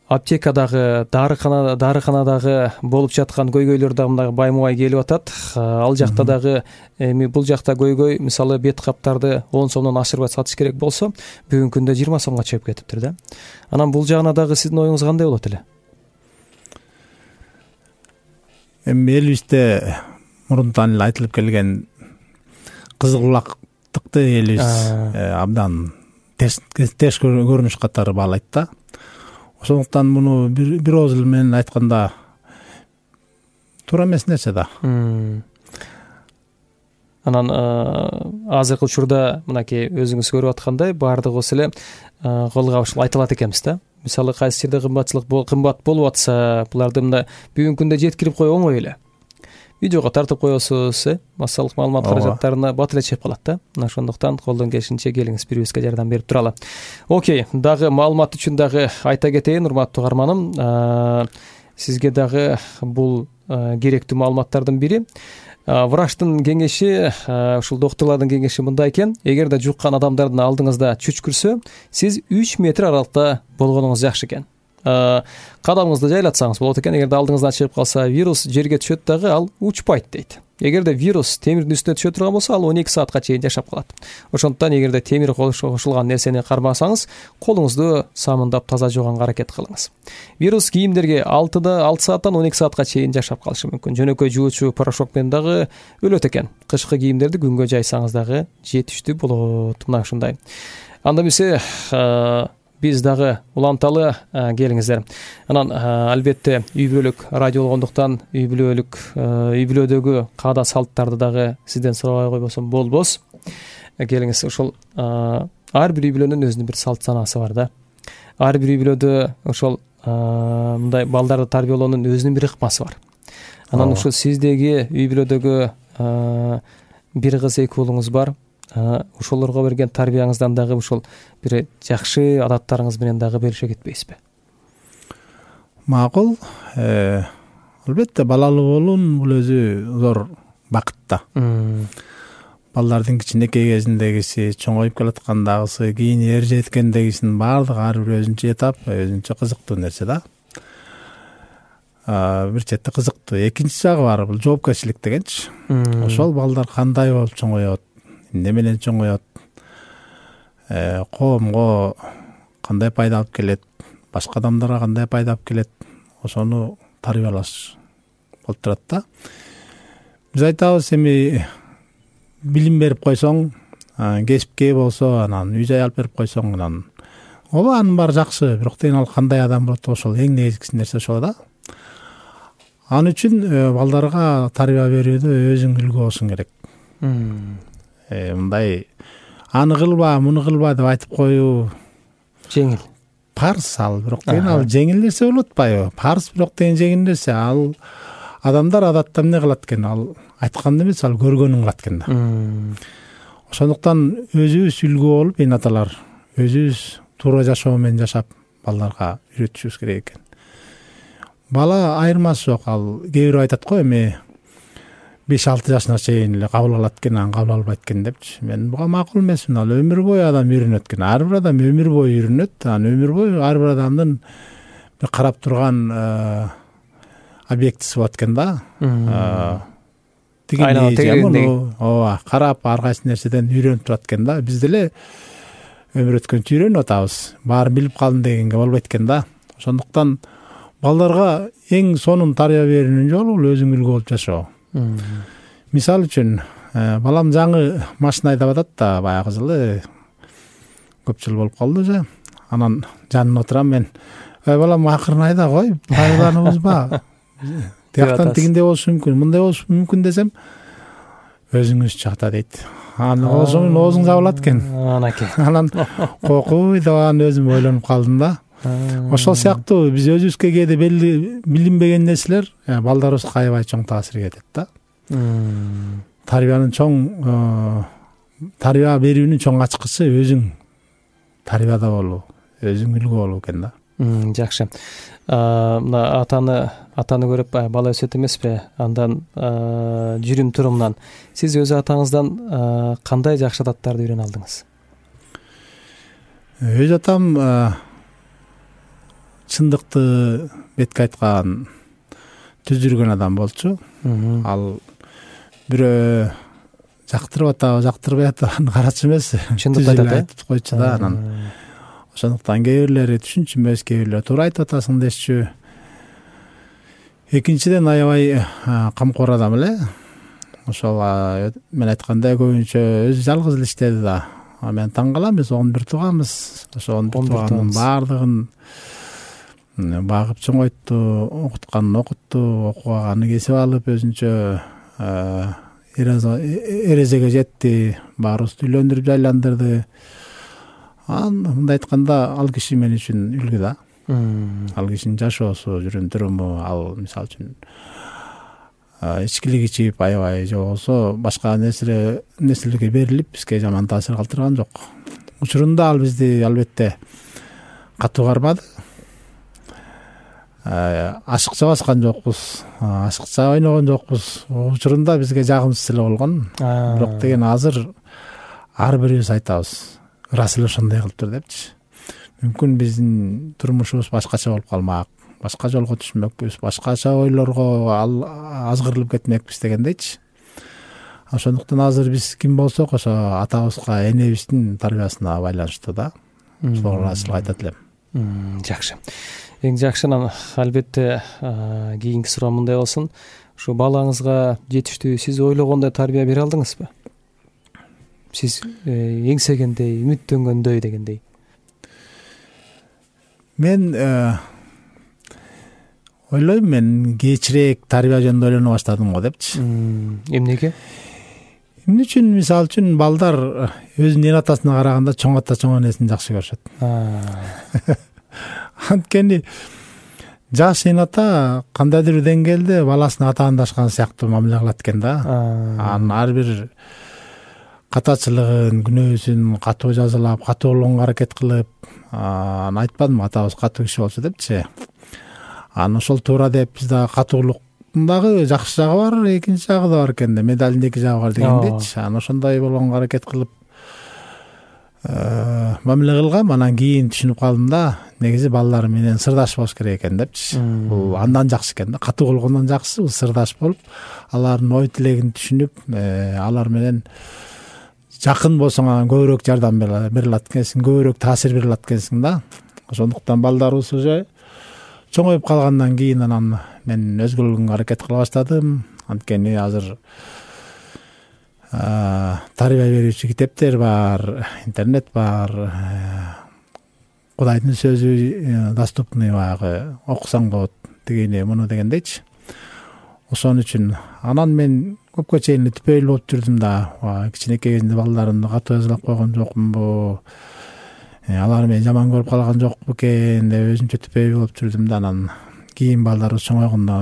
аптекадагы, дарыканада, дарыканадагы болуп жаткан көйгөйлөр дагы мына баймубай келип атат. Ал жакта дагы эми бул жакта көйгөй, мисалы бет каптарды он сомдон ашырбай сатыш керек болсо, бүгүнкү күндө жыйырма сомго чыгып кетиптир да. Анан бул жагына дагы сиздин оюңуз кандай болот эле? Эми элибизде мурунтан эле айтылып келген кызылбулактыкты элибиз абдан терс көрүнүш катары баалайт да. Ошондуктан муну бир ооз эле менен айтканда туура эмес нерсе да. Анан азыркы учурда мынакей өзүңүз көрүп аткандай баардыгыбыз эле колго ушул айтылат экенбиз да. Мисалы кайсы жерде кымбатчылык кымбат болуп атса, буларды мына бүгүнкү күндө жеткирип коюу оңой эле. Видеого тартып коесуз, э, массалык маалымат каражаттарына бат эле чыгып калат да. Мына ошондуктан колдон келишинче келиңиз, бирибизге жардам берип туралы. Окей, дагы маалымат үчүн дагы айта кетейин, урматтуу угарманым, сизге дагы бул керектүү маалыматтардын бири. Врачтын кеңеши, ушул докторлордун кеңеши мындай экен: эгерде жуккан адамдардын алдыңызда чүчкүрсө, сиз үч метр аралыкта болгонуңуз жакшы экен. Кадамыңызды жайлатсаңыз болот экен. Эгерде алдыңыздан чыгып калса, вирус жерге түшөт дагы ал учпайт дейт. эгерде вирус темирдин үстүнө түшө турган болсо ал он эки саатка чейин жашап калат. Ошондуктан эгерде темир кошулган нерсени кармасаңыз, колуңузду самындап таза жууганга аракет кылыңыз. Вирус кийимдерге алтыда алты сааттан он эки саатка чейин жашап калышы мүмкүн. Жөнөкөй жуучу порошок менен дагы өлөт экен. Кышкы кийимдерди күнгө жайсаңыз дагы жетиштүү болот. Мына ушундай. Анда эмесе биз дагы уланталы, келиңиздер. Анан албетте үй бүлөлүк радио болгондуктан үй бүлөлүк үй бүлөдөгү каада салттарды дагы сизден сурабай койбосом болбос. Келиңиз, ошол ар бир үй бүлөнүн өзүнүн бир салт санаасы бар да. Ар бир үй бүлөдө ошол мындай балдарды тарбиялоонун өзүнүн бир ыкмасы бар. Анан ушул сиздеги үй бүлөдөгү бир кыз эки уулуңуз бар. Ошолорго берген тарбияңыздан дагы ушул бир жакшы адаттарыңыз менен дагы бөлүшө кетпейсизби? Макул. Албетте балалуу болуун бул өзү зор бакыт да. Балдардын кичинекей кезиндегиси, чоңоюп келаткандагысы, кийин эр жеткендегисинин баардыгы ар бир өзүнчө этап, өзүнчө кызыктуу нерсе да. Бир четте кызыктуу. Экинчи жагы бар, бул жоопкерчилик дегенчи. Ошол балдар кандай болуп чоңоет, эмне менен чоңоет, коомго кандай пайда алып келет, башка адамдарга кандай пайда алып келет, ошону тарбиялаш болуп турат да. Биз айтабыз, эми билим берип койсоң, кесипке болсо, анан үй жай алып берип койсоң, анан ооба анын баары жакшы, бирок дейин ал кандай адам болот, ошол эң негизги нерсе ошол да. Ал үчүн балдарга тарбия берүүдө өзүң үлгү болушуң керек. Мындай аны кылба, муну кылба деп айтып коюу жеңил. Парс ал, бирок дейин ал жеңил нерсе болуп атпайбы? Парс бирок дейин жеңил нерсе. Ал адамдар адатта эмне кылат экен? Ал айтканды эмес, ал көргөнүн кылат экен да. Ошондуктан өзүбүз үлгү болуп, эне аталар өзүбүз туура жашоо менен жашап балдарга үйрөтүшүбүз керек экен. Бала айырмасы жок. Ал кээ бирөө айтат го, эми беш алты жашына чейин эле кабыл алат экен, анан кабыл албайт экен депчи. Мен буга макул эмесмин. Ал өмүр бою адам үйрөнөт экен. Ар бир адам өмүр бою үйрөнөт. Анан өмүр бою ар бир адамдын бир карап турган объектиси болот экен да. Тигиндей, ооба, карап ар кайсы нерседен үйрөнүп турат экен да. Биз деле өмүр өткөнчө үйрөнүп атабыз. Баарын билип калдым дегенге болбойт экен да. Ошондуктан балдарга эң сонун тарбия берүүнүн жолу бул өзүң үлгү болуп жашоо. Мисалы үчүн, балам жаңы машина айдап атат да, баягы жылы көп жыл болуп калды уже. Анан жанына отурам мен. Ой балам, акырын айда кой, пайдаланыбызба. Тияктан тигиндей болушу мүмкүн, мындай болушу мүмкүн десем, өзүңүз чакта дейт. Анан ошонун оозуң жабылат экен. Анан кокуй деп анан өзүм ойлонуп калдым да. Ошол сыяктуу биз өзүбүзгө кээде белгилүү билинбеген нерселер балдарыбызга аябай чоң таасир этет да. Тарбиянын чоң тарбия берүүнүн чоң ачкычы өзүң тарбияда болуу, өзүң үлгү болуу экен да. Жакшы. Мына атаны атаны көрүп бала өсөт эмеспи? Андан жүрүм турумунан сиз өз атаңыздан кандай жакшы адаттарды үйрөнө алдыңыз? Өз атам чындыкты бетке айткан, түз жүргөн адам болчу. Ал бирөө жактырып атабы, жактырбай атабы карачу эмес. Чындыкты айтып койчу да. Анан ошондуктан кээ бирлери түшүнчүмөс, кээ бирлери туура айтып атасың дешчү. Экинчиден аябай камкор адам эле. Ошол мен айткандай көбүнчө өзү жалгыз эле иштеди да. Мен таң калам, биз он бир тууганбыз. Ошо он бир тууганын баардыгын багып чоңойтту, окутканын окутту, окуганын кесип алып, өзүнчө эрежеге жетти, баарыбызды үйлөндүрүп жайландырды. Анан мындай айтканда ал киши мен үчүн үлгү да. Ал кишинин жашоосу, жүрүм туруму, ал мисалы үчүн ичкилик ичип аябай же болбосо башка нерселерге берилип бизге жаман таасир калтырган жок. Учурунда ал бизди албетте катуу кармады. Ашыкча баскан жокпуз, ашыкча ойногон жокпуз. Учурунда бизге жагымсыз эле болгон. Бирок деген азыр ар бирибиз айтабыз, ырас эле ошондой кылыптыр депчи. Мүмкүн биздин турмушубуз башкача болуп калмак, башка жолго түшмөкпүз, башкача ойлорго азгырылып кетмекпиз дегендейчи. ошондуктан азыр биз ким болсок ошо атабызга, энебиздин тарбиясына байланыштуу да. Ошого ыраазычылык айтат элем. Жакшы. Эң жакшынан албетте кийинки суроо мындай болсун. Ушу балаңызга жетиштүү сиз ойлогондой тарбия бере алдыңызбы? Сиз эңсегендей, үмүттөнгөндөй дегендей. Мен ойлойм, мен кечирээк тарбия жөнүндө ойлоно баштадым го депчи. Эмнеге? Эмне үчүн? Мисалы үчүн балдар өзүнүн эн атасына караганда чоң ата, чоң энесин жакшы көрүшөт. Анткени жаш эн ата кандайдыр бир деңгээлде баласына атаандашкан сыяктуу мамиле кылат экен да. Анын ар бир катачылыгын, күнөөсүн катуу жазалап, катуу болгонго аракет кылып, аны айтпадымбы, атабыз катуу киши болчу депчи. Аны ошол туура деп биз дагы катуулуктун дагы жакшы жагы бар, экинчи жагы да бар экен да, медалдын эки жагы бар дегендейчи. Аны ошондой болгонго аракет кылып мамиле кылгам. Анан кийин түшүнүп калдым да, негизи балдар менен сырдаш болуш керек экен депчи. Бул андан жакшы экен да, катуу болгондон жакшы бул сырдаш болуп, алардын ой тилегин түшүнүп, алар менен жакын болсоң анан көбүрөөк жардам бере алат экенсиң, көбүрөөк таасир бере алат экенсиң да. Ошондуктан балдарыбыз уже чоңоюп калгандан кийин анан мен өзгөргөнгө аракет кыла баштадым. Анткени азыр тарбия берүүчү китептер бар, интернет бар, Кудайдын сөзү доступный, баягы окусаң болот, дегени муну дегендейчи. Ошон үчүн анан мен көпкө чейин түпөйүл болуп жүрдүм да. Кичинекей кезинде балдарымды катуу жазалап койгон жокмунбу, алар мени жаман көрүп калган жокпу экен деп өзүмчө түпөйүл болуп жүрдүм да. Анан кийин балдарыбыз чоңойгондо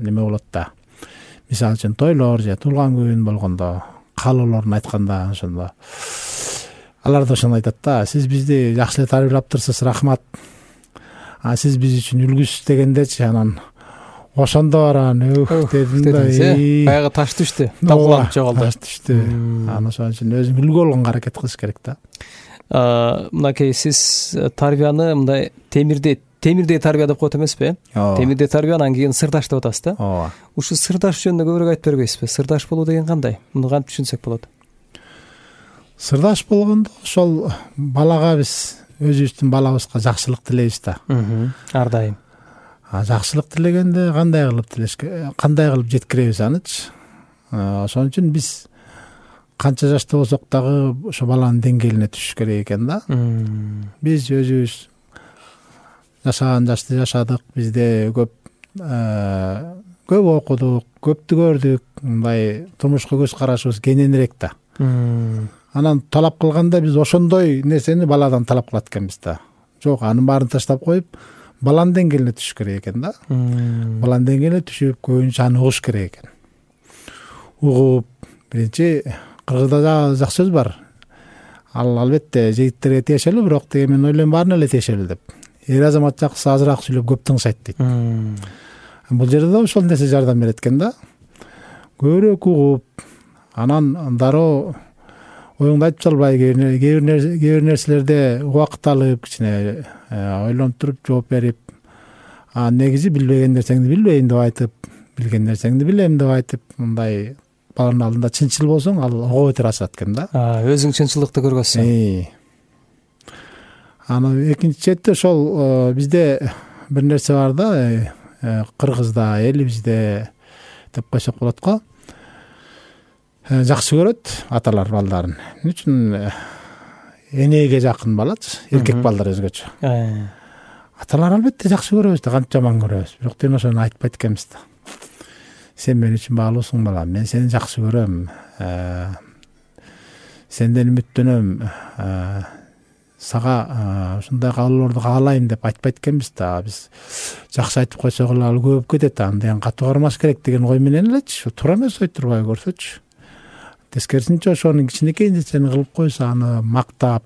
неме болот да. Мисалы үчүн тойлор же туулган күн болгондо, каалоолорун айтканда, ошондо алар да ошону айтат да: сиз бизди жакшы эле тарбиялаптырсыз, рахмат. А сиз биз үчүн үлгүсүз дегендечи. Анан ошондо баран ух дедим да. Баягы таш түштү, талкууланып жоголду. Таш түштү. Анан ошон үчүн өзүң үлгү болгонго аракет кылыш керек да. Мынакей сиз тарбияны мындай темирдей темирдей тарбия деп коет эмеспи? Темирдей тарбия, анан кийин сырдаш деп атасыз да? Ооба. Ушу сырдаш жөнүндө көбүрөөк айтып бербейсизби? Сырдаш болуу деген кандай? Муну кантип түшүнсөк болот? Сырдаш болгондо ошол балага биз өзүбүздүн балабызга жакшылык тилейбиз да. Ар дайым. А жакшылык тилегенде кандай кылып тилешке, кандай кылып жеткиребиз анычы? Ошон үчүн биз канча жашта болсок дагы ошо баланын деңгээлине түшүш керек экен да. Биз өзүбүз жашаган жашты жашадык, бизде көп көп окудук, көптү көрдүк, мындай турмушка көз карашыбыз кененирээк да. Анан талап кылганда биз ошондой нерсени баладан талап кылат экенбиз да. Жок, анын баарын таштап коюп, баланын деңгээлине түшүш керек экен да. Баланын деңгээлине түшүп, көбүнчө аны угуш керек экен. Угуп, биринчи кыргызда жакшы сөз бар. Ал албетте жигиттерге тиешелүү, бирок деген мен ойлойм баарына эле тиешелүү деп. Эр азамат жакшы азыраак сүйлөп көп тыңшайт дейт. Бул жерде да ошол нерсе жардам берет экен да. Көбүрөөк угуп, анан дароо оюңду айтып салбай, кээ бир нерселерде убакыт алып, кичине ойлонуп туруп жооп берип, а негизи билбеген нерсеңди билбейм деп айтып, билген нерсеңди билем деп айтып, мындай баланын алдында чынчыл болсоң, ал ого бетер ачат экен да. Өзүң чынчылыкты көргөзсөң. Аны экинчи четте ошол бизде бир нерсе бар да, кыргызда, элибизде деп койсок болот го. Жакшы көрөт аталар балдарын. Эмне үчүн? Энеге жакын балачы, эркек балдар өзгөчө. Аталар албетте жакшы көрөбүз да, кантип жаман көрөбүз. Бирок ден ошону айтпайт экенбиз да. Сен мен үчүн баалуусуң балам, мен сени жакшы көрөм. Сенден үмүттөнөм. Сага ушундай каалоолорду каалайм деп айтпайт экенбиз да. Биз жакшы айтып койсок эле ал көп кетет, андайын катуу кармаш керек деген ой менен элечи. Туура эмес ой турбай көрсөчү. Тескерисинче ошонун кичинекей нерсени кылып койсо, аны мактап,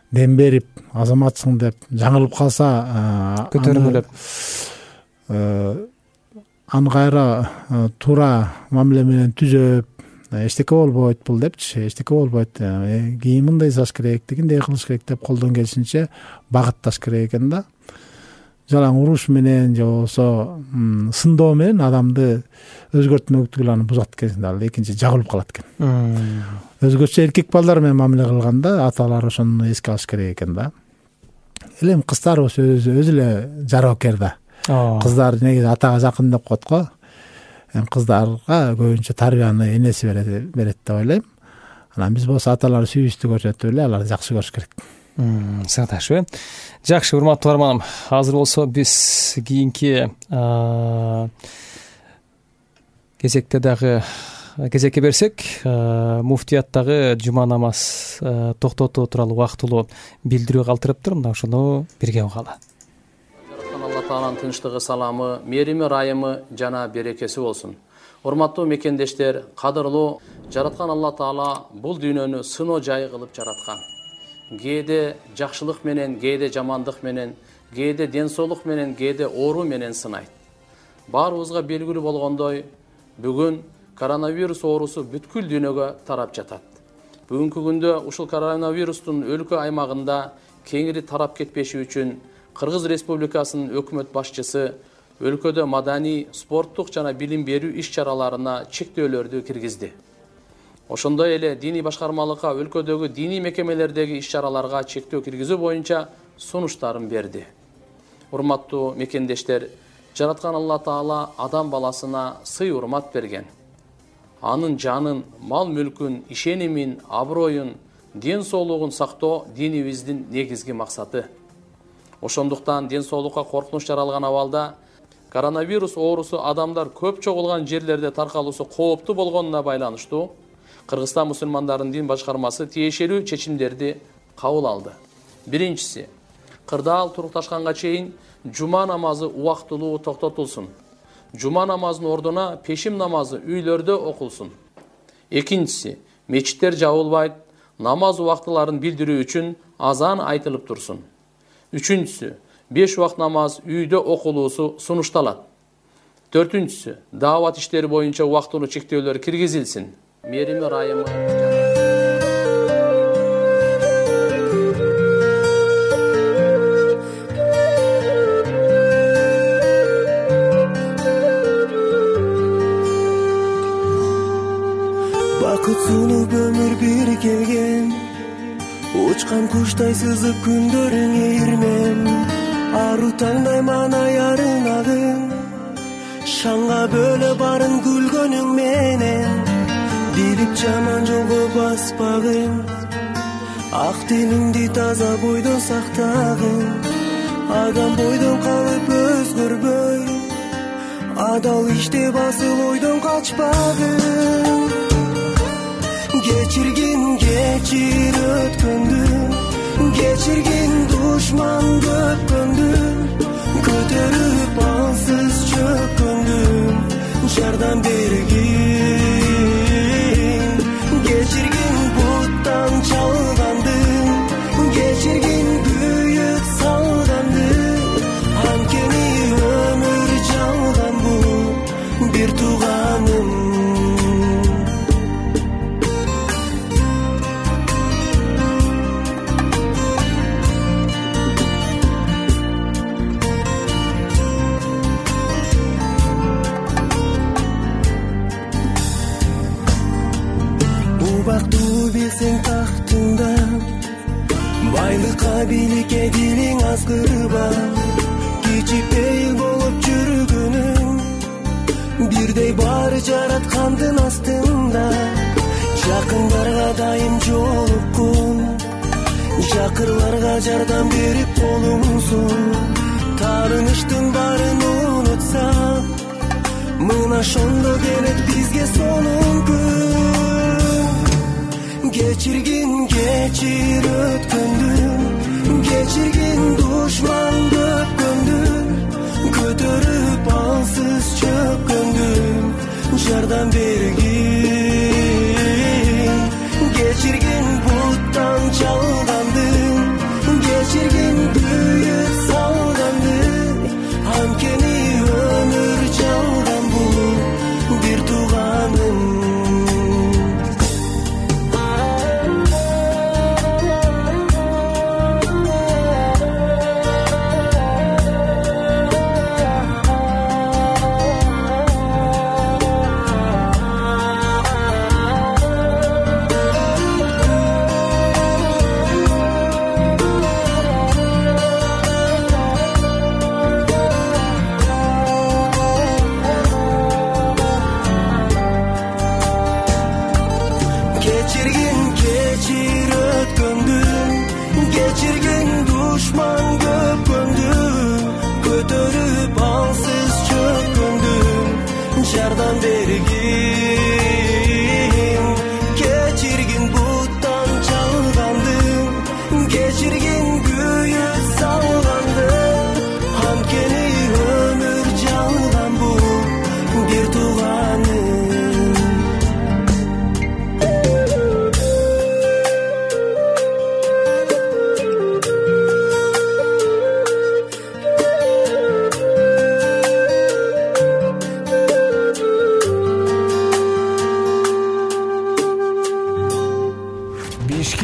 дем берип, азаматсың деп жаңылып калса, көтөрүмөлөп, аны кайра туура мамиле менен түзөп, эчтеке болбойт бул депчи, эчтеке болбойт, кийин мындай жасаш керек, тигиндей кылыш керек деп колдон келишинче багытташ керек экен да. жалаң уруш менен же болбосо сындоо менен адамды өзгөртмөктүгүлө аны бузат экен да, ал экинчи жагылып калат экен. Өзгөчө эркек балдар менен мамиле кылганда аталар ошону эске алыш керек экен да. Элем кыздарыбыз өзү өзү эле жарабакер да. Кыздар негизи атага жакын деп коет го. Эми кыздарга көбүнчө тарбияны энеси берет берет деп ойлойм. Анан биз болсо аталар сүйүүбүздү көрсөтүп эле аларды жакшы көрүш керек. Сагдашпы. Жакшы, урматтуу барманым. Азыр болсо биз кийинки кезекте дагы кезекке берсек, муфтияттагы жума намаз токтотуу тууралуу убактылуу билдирүү калтырыптыр. Мына ошону бирге угалы. Алла Тааланын тынчтыгы, саламы, мээрими, ырайымы жана берекеси болсун. Урматтуу мекендештер, кадырлуу, жараткан Алла Таала бул дүйнөнү сыноо жайы кылып жараткан. Кээде жакшылык менен, кээде жамандык менен, кээде ден соолук менен, кээде оору менен сынайт. Баарыбызга белгилүү болгондой, бүгүн коронавирус оорусу бүткүл дүйнөгө тарап жатат. Бүгүнкү күндө ушул коронавирустун өлкө аймагында кеңири тарап кетпеши үчүн Кыргыз Республикасынын өкмөт башчысы өлкөдө маданий, спорттук жана билим берүү иш-чараларына чектөөлөрдү киргизди. Ошондой эле диний башкармалыкка өлкөдөгү диний мекемелердеги иш-чараларга чектөө киргизүү боюнча сунуштарын берди. Урматтуу мекендештер, жараткан Алла Таала адам баласына сый урмат берген. Анын жанын, мал мүлкүн, ишенимин, аброюн, ден соолугун сактоо динибиздин негизги максаты. Ошондуктан ден соолукка коркунуч жаралган абалда коронавирус оорусу адамдар көп чогулган жерлерде таркалуусу кооптуу болгонуна байланыштуу Кыргызстан мусулмандарынын дин башкармасы тиешелүү чечимдерди кабыл алды. Биринчиси, кырдаал турукташканга чейин жума намазы убактылуу токтотулсун. Жума намазынын ордуна пешим намазы үйлөрдө окулсун. Экинчиси, мечиттер жабылбайт, намаз убактыларын билдирүү үчүн азан айтылып турсун. Үчүнчүсү, беш убакт намаз үйдө окулуусу сунушталат. Төртүнчүсү, даават иштери боюнча убактылуу чектөөлөр киргизилсин. Мээрими, ырайымы бакыт сунуп өмүр бир келген, учкан куштай сызып күндөрүң ийирмем, ару таңдай маанай арынагын, шаңга бөлө барын күлгөнүң менен, билип жаман жолго баспагын, ак тилиңди таза бойдон сактагын, адам бойдон калып өзгөрбөй, адал иште басыл ойдон качпагын. Кечиргин кечир өткөндү, кечиргин душман көпкөндү, көтөрүп алсыз чөккөндү, жардам бергин. Кечиргин буттан чалганды, кечиргин күйүк салганды, анткени өмүр жалган бул бир тууганым. Убактуу билсең тактыңда, байлыкка бийликке дилиң азгырба, кичипейил болуп жүргөнүң, бирдей баары жараткандын астында, жакындарга дайым жолуккун, жакырларга жардам берип колуңсун, таарыныштын баарын унутса, мына ошондо келет бизге сонун күн. Кечиргин кечир өткөндү, кечиргин душман көпкөндү, көтөрүп алсыз чөккөндү, жардам бергин. Кечиргин буттан чалганды, кечиргин күйүк салганды, анткени өмүр жалган бул бир тууганым.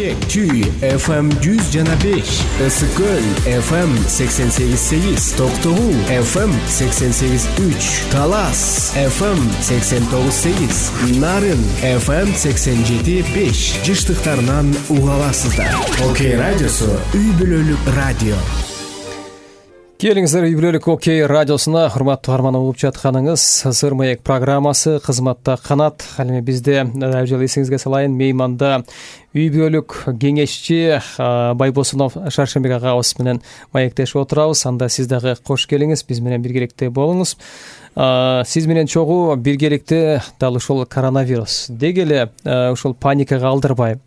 Бишкек Чүй эф эм жүз жана беш, Ысык көл эф эм сексен сегиз сегиз, Токтогул эф эм сексен сегиз үч, Талас эф эм сексен тогуз сегиз, Нарын эф эм сексен жети беш жыштыктарынан уга аласыздар. Окей радиосу үй бүлөлүк радио. Келиңиздер, үй бүлөлүк Окей радиосуна урматтуу угарман угуп жатканыңыз Сыр маек программасы кызматта канат. Ал эми бизде дагы жолу эсиңизге салайын, мейманда үй бүлөлүк кеңешчи Байбосунов Шаршембек агабыз менен маектешип отурабыз. Анда сиз дагы кош келиңиз, биз менен биргеликте болуңуз. Сиз менен чогуу биргеликте дал ушул коронавирус деги эле ушул паникага алдырбай,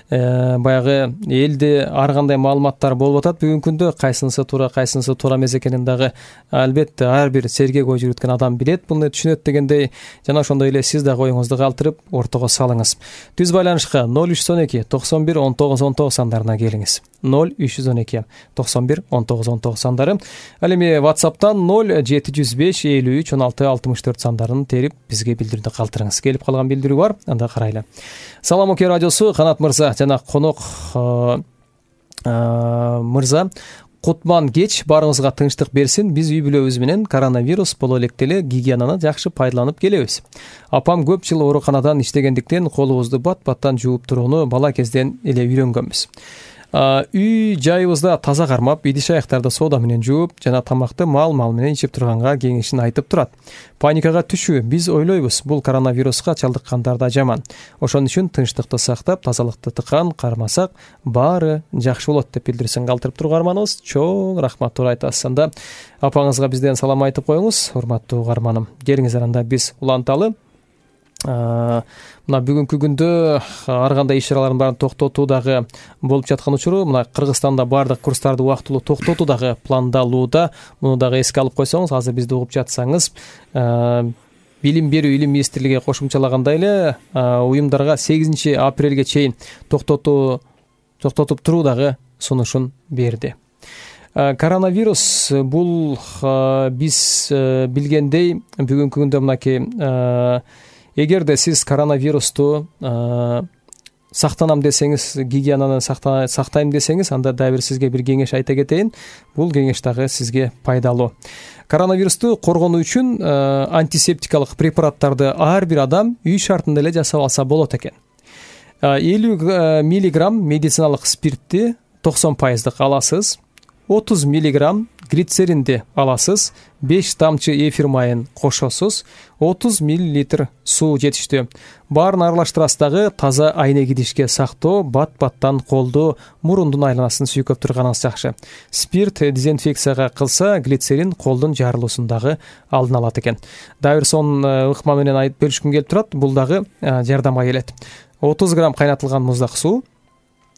баягы элде ар кандай маалыматтар болуп атат бүгүнкү күндө, кайсынысы туура, кайсынысы туура эмес экенин дагы албетте ар бир сергек ой жүргүткөн адам билет, муну түшүнөт дегендей, жана ошондой эле сиз дагы оюңузду калтырып ортого салыңыз. Түз байланышка ноль үч жүз он эки токсон бир он тогуз он тогуз сандарына келиңиз. ноль үч жүз он эки токсон бир он тогуз он тогуз сандары. Ал эми WhatsApp'тан ноль жети жүз беш элүү үч он алты алтымыш төрт сандарын терип бизге билдирүүнү калтырыңыз. Келип калган билдирүү бар, анда карайлы. Салам Окей радиосу, Канат мырза жана конок мырза. Кутман кеч, баарыңызга тынчтык берсин. Биз үй бүлөбүз менен коронавирус боло электе гигиенаны жакшы пайдаланып келебиз. Апам көп жыл ооруканадан иштегендиктен колубузду бат-баттан жууп турууну бала кезден эле үйрөнгөнбүз. Үй жайыбызда таза кармап, идиш аяктарды соода менен жууп жана тамакты мал-мал менен ичип турганга кеңешин айтып турат. Паникага түшүү, биз ойлойбуз, бул коронавируска чалдыккандар да жаман. Ошон үчүн тынчтыкты сактап, тазалыкты тыкан кармасак, баары жакшы болот деп билдирсин калтырып турганыбыз. Чоң рахмат туура айтасыз. Анда апаңызга бизден салам айтып коюңуз, урматтуу угарманым. Келиңиздер, анда биз уланталы. Мына бүгүнкү күндө ар кандай иш-чаралардын баарын токтотуу дагы болуп жаткан учуру, мына Кыргызстанда баардык курстарды убактылуу токтотуу дагы пландалууда. Муну дагы эске алып койсоңуз, азыр бизди угуп жатсаңыз, Билим берүү илим министрлиги кошумчалагандай эле уюмдарга сегизинчи апрелге чейин токтотуу токтотуп туруу дагы сунушун берди. Коронавирус бул биз билгендей бүгүнкү күндө мынакей, эгерде сиз коронавирусту сактанам десеңиз, гигиенаны сактайм десеңиз, анда дагы бир сизге бир кеңеш айта кетейин. Бул кеңеш дагы сизге пайдалуу. Коронавирусту коргонуу үчүн антисептикалык препараттарды ар бир адам үй шартында эле жасап алса болот экен. элүү миллиграмм медициналык спиртти токсон пайыздык аласыз, отуз миллиграмм глицеринди аласыз, беш тамчы эфир майын кошосуз, отуз миллилитр суу жетиштүү. Баарын аралаштырасыз дагы таза айнек идишке сактоо, бат-баттан колду, мурундун айланасын сүйкөп турганыңыз жакшы. Спирт дезинфекцияга кылса, глицерин колдун жарылуусун дагы алдын алат экен. Дагы бир сонун ыкма менен айтып бөлүшкүм келип турат, бул дагы жардамга келет. отуз грамм кайнатылган муздак суу,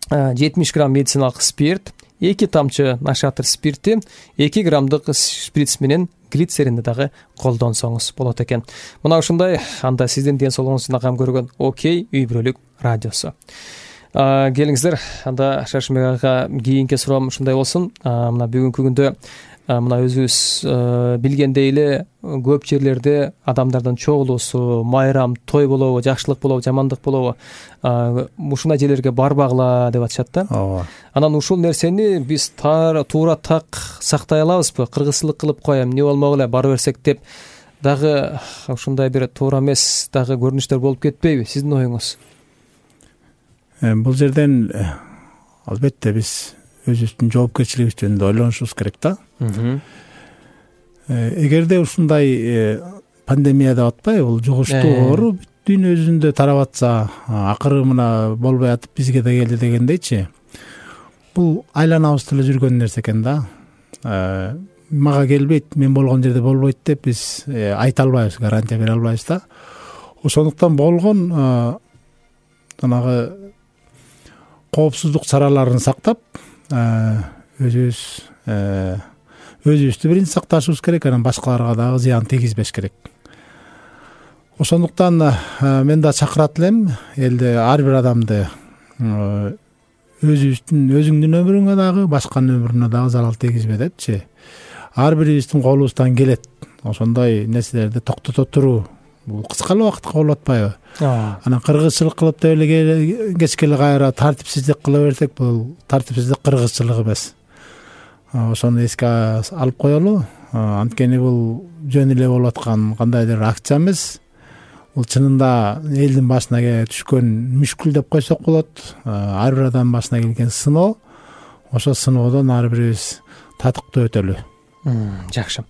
жетимиш грамм медициналык спирт, эки тамчы нашатыр спирти, эки граммдык шприц менен глицеринди дагы колдонсоңуз болот экен. Мына ушундай, анда сиздин ден соолугуңузду кам көргөн Окей үй бүлөлүк радиосу. Келиңиздер, анда Шаршембек ага кийинки суроом ушундай болсун. Мына бүгүнкү күндө мына өзүбүз билгендей эле көп жерлерде адамдардын чогулуусу, майрам, той болобу, жакшылык болобу, жамандык болобу, ушундай жерлерге барбагыла деп атышат да. Ооба. Анан ушул нерсени биз туура так сактай алабызбы? Кыргызчылык кылып коем, эмне болмок эле бара берсек деп дагы ушундай бир туура эмес дагы көрүнүштөр болуп кетпейби? Сиздин оюңуз? Бул жерден албетте биз өзүбүздүн жоопкерчилигибиз жөнүндө ойлонушубуз керек да. Эгерде ушундай пандемия деп атпайбы, бул жугуштуу оору бүт дүйнө жүзүндө тарап атса, акыры мына болбой атып бизге да келди дегендейчи, бул айланабызда эле жүргөн нерсе экен да. Мага келбейт, мен болгон жерде болбойт деп биз айта албайбыз, гарантия бере албайбыз да. Ошондуктан болгон жанагы коопсуздук чараларын сактап, өзүбүз өзүбүздү биринчи сакташыбыз керек, анан башкаларга дагы зыян тийгизбеш керек. Ошондуктан мен да чакырат элем элде ар бир адамды өзүбүздүн өзүңдүн өмүрүңө дагы, башканын өмүрүнө дагы зарал тийгизбе депчи. Ар бирибиздин колубуздан келет ошондой нерселерди токтото туруу, бул кыска эле убакытка болуп атпайбы? Анан кыргызчылык кылып деп эле кечке эле кайра тартипсиздик кыла берсек, бул тартипсиздик кыргызчылык эмес. Ошону эске алып коелу. Анткени бул жөн эле болуп аткан кандайдыр акча эмес. Бул чынында элдин башына түшкөн мүшкүл деп койсок болот. Ар бир адам башына келген сыноо. Ошо сыноодон ар бирибиз татыктуу өтөлү. Жакшы.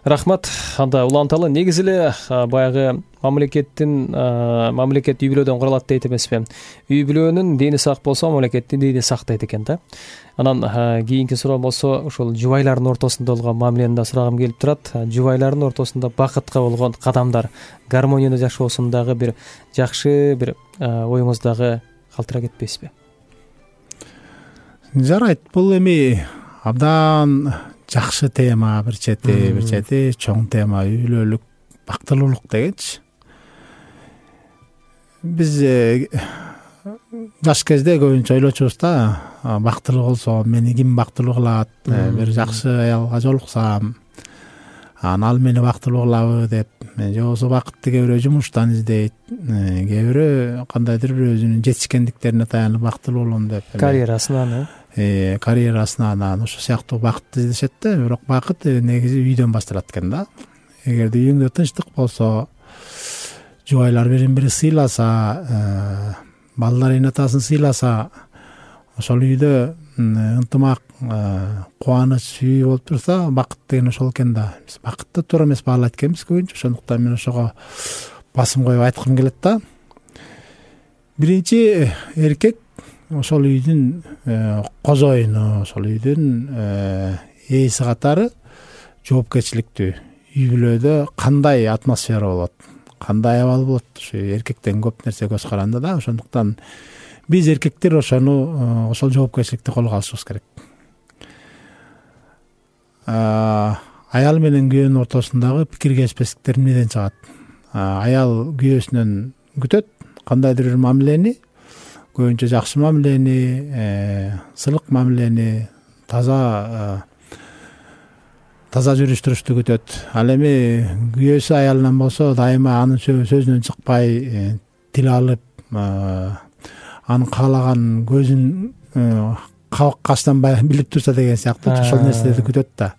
Рахмат. Анда уланталы. Негизи эле баягы мамлекеттин мамлекет үй бүлөдөн куралат дейт эмеспи? Үй бүлөнүн дени сак болсо, мамлекеттин дени сак дейт экен да. Анан кийинки суроо болсо, ошол жубайлардын ортосунда болгон мамилени да сурагым келип турат. Жубайлардын ортосунда бакытка болгон кадамдар, гармонияны жашоосундагы бир жакшы бир оюңуздагы калтыра кетпейсизби? Жарайт, бул эми абдан жакшы тема, бир чети, бир чети чоң тема, үй бүлөлүк бактылуулук дегенчи. Биз жаш кезде көбүнчө ойлочубуз да, бактылуу болсо мени ким бактылуу кылат, бир жакшы аялга жолуксам, анан ал мени бактылуу кылабы деп. Же болбосо бакытты кээ бирөө жумуштан издейт, кээ бирөө кандайдыр бир өзүнүн жетишкендиктерине таянып бактылуу болом деп. Карьерасынан, э, карьерасынан ошо сыяктуу бакытты издешет да, бирок бакыт негизи үйдөн башталат экен да. Эгерде үйүңдө тынчтык болсо, жубайлар бирин бири сыйласа, балдар эне атасын сыйласа, ошол үйдө ынтымак, кубаныч үй болуп турса, бакыт деген ошол экен да. Биз бакытты туура эмес баалайт экенбиз көбүнчө, ошондуктан мен ошого басым коюп айткым келет да. Биринчи эркек ошол үйдүн козоюну, ошол үйдүн ээси катары жоопкерчиликтүү. Үй бүлөдө кандай атмосфера болот, кандай абал болот, ушу эркектен көп нерсе көз каранды да. Ошондуктан биз эркектер ошону, ошол жоопкерчиликти колго алышыбыз керек. Аял менен күйөөнүн ортосундагы пикиргешпестиктер эмнеден чыгат? Аял күйөөсүнөн күтөт кандайдыр бир мамилени, көбүнчө жакшы мамилени, сылык мамилени, таза таза жүрүш-турушту күтөт. Ал эми күйөөсү аялынан болсо, дайыма анын сөзүнөн чыкпай, тил алып, анын каалаган көзүн кабак каштанбай билип турса деген сыяктуу ошол нерселерди күтөт да.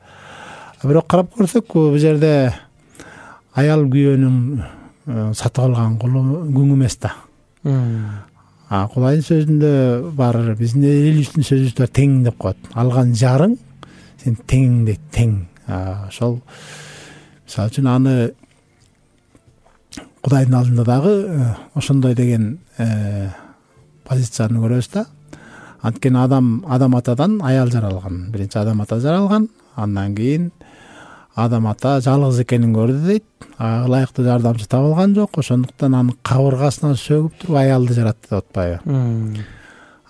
Бирок карап көрсөк, бул жерде аял күйөөнүн сатып алган күң эмес да. Кудайдын сөзүндө бар, биздин элибиздин сөзүбүздө тең деп коет. Алган жарың сен тең дейт, тең. Ошол мисалы үчүн аны Кудайдын алдында дагы ошондой деген позицияны көрөбүз да. Анткени адам адам атадан аял жаралган. Биринчи адам ата жаралган, андан кийин адам ата жалгыз экенин көрдү дейт. Ылайыктуу жардамчы табылган жок, ошондуктан анын кабыргасына сөгүп туруп аялды жаратты деп атпайбы.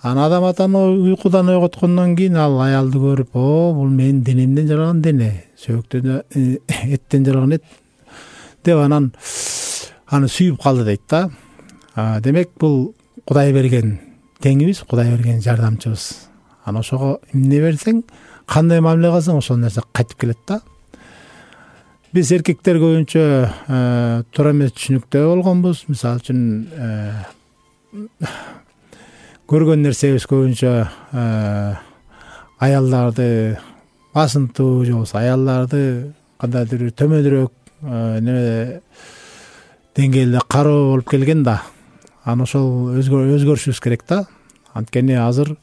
Анан адам атаны уйкудан ойготкондон кийин ал аялды көрүп, о, бул менин денемден жаралган дене, сөөктөн эттен жаралган эт деп анан аны сүйүп калды дейт да. Демек бул Кудай берген теңибиз, Кудай берген жардамчыбыз. Анан ошого эмне берсең, кандай мамиле кылсаң, ошол нерсе кайтып келет да. Биз эркектер көбүнчө туура эмес түшүнүктө болгонбуз. Мисалы үчүн көргөн нерсебиз көбүнчө аялдарды басынтуу, же болбосо аялдарды кандайдыр бир төмөнүрөөк неме деңгээлде кароо болуп келген да. Анан ошол өзгөрүшүбүз керек да. Анткени азыр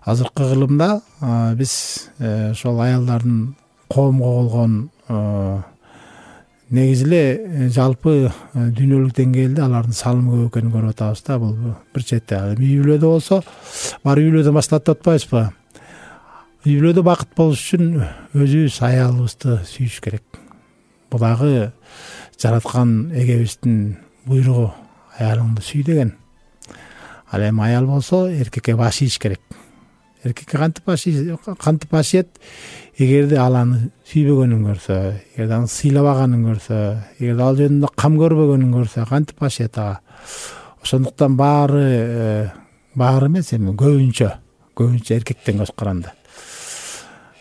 азыркы кылымда биз ошол аялдардын коомго болгон негизи эле жалпы дүйнөлүк деңгээлде алардын салымы көп экенин көрүп атабыз да. Бул бир чети. Үй бүлөдө болсо, бар үй бүлөдөн башталат деп атпайбызбы? Үй бүлөдө бакыт болуш үчүн өзүбүз аялыбызды сүйүш керек. Бул дагы жараткан эгебиздин буйругу, аялыңды сүй деген. Ал эми аял болсо эркекке баш ийиш керек. Эркекке кантип баш кантип баш ийет? Эгерде ал аны сүйбөгөнүн көрсө, эгерде аны сыйлабаганын көрсө, эгерде ал жөнүндө кам көрбөгөнүн көрсө, кантип баш ийет ага? Ошондуктан баары баары эмес, эми көбүнчө көбүнчө эркектен көз каранды.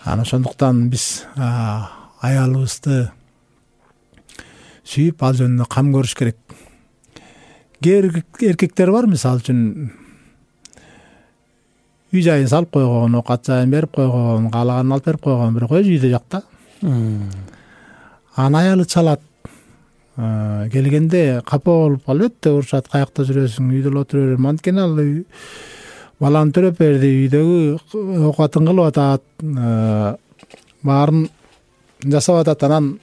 Анан ошондуктан биз аялыбызды сүйүп ал жөнүндө кам көрүш керек. Кээ бир эркектер бар, мисалы үчүн үй жайын салып койгон, оокат жайын берип койгон, каалаганын алып берип койгон, бирок өзү үйдө жок да. Анан аялы чалат. Келгенде капа болуп албетте урушат, каякта жүрөсүң, үйдө эле отура берем. Анткени ал баланы төрөп берди, үйдөгү оокатын кылып атат, баарын жасап атат. Анан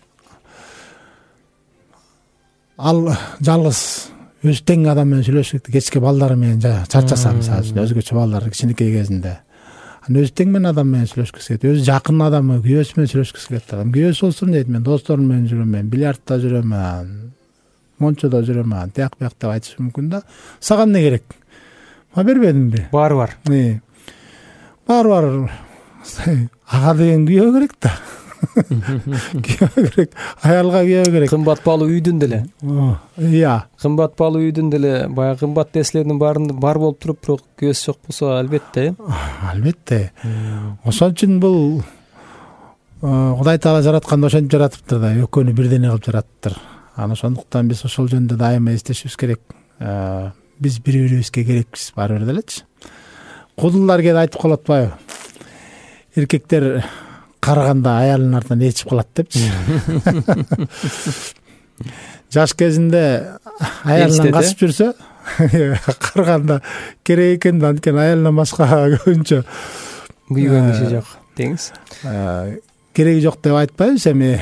ал жалгыз өзү тең адам менен сүйлөшүп, кечке балдары менен чарчаса, мисалы үчүн өзгөчө балдар кичинекей кезинде, анан өзү тең менен адам менен сүйлөшкүсү келет, өзү жакын адамы, күйөөсү менен сүйлөшкүсү келет. Адам күйөөсү болсун дейт, мен досторум менен жүрөм, мен бильярдта жүрөм, мончодо жүрөм, тияк бияк деп айтышы мүмкүн да. Сага эмне керек? Ма бербедимби? Баары бар. Баары бар. Ага деген күйөө керек да. Күйөө керек, аялга күйөө керек. Кымбат баалуу үйдүн деле. Ыя. Кымбат баалуу үйдүн деле баягы кымбат нерселердин баарын бар болуп туруп, бирок күйөөсү жок болсо албетте. Албетте. Ошон үчүн бул Кудай Таала жаратканда ошентип жаратыптыр да, экөөнү бирдене кылып жаратыптыр. Анан ошондуктан биз ошол жөнүндө дайыма эстешибиз керек. Биз бири-бирибизге керекпиз баары бир делечи. Кудулдар кээде айтып калат атпайбы? Эркектер караганда аялынын артынан ээрчип калат депчи. Жаш кезинде аялынан качып жүрсө, караганда керек экен да, анткени аялынан башка көбүнчө күйгөн киши жок деңиз. Кереги жок деп айтпайбыз, эми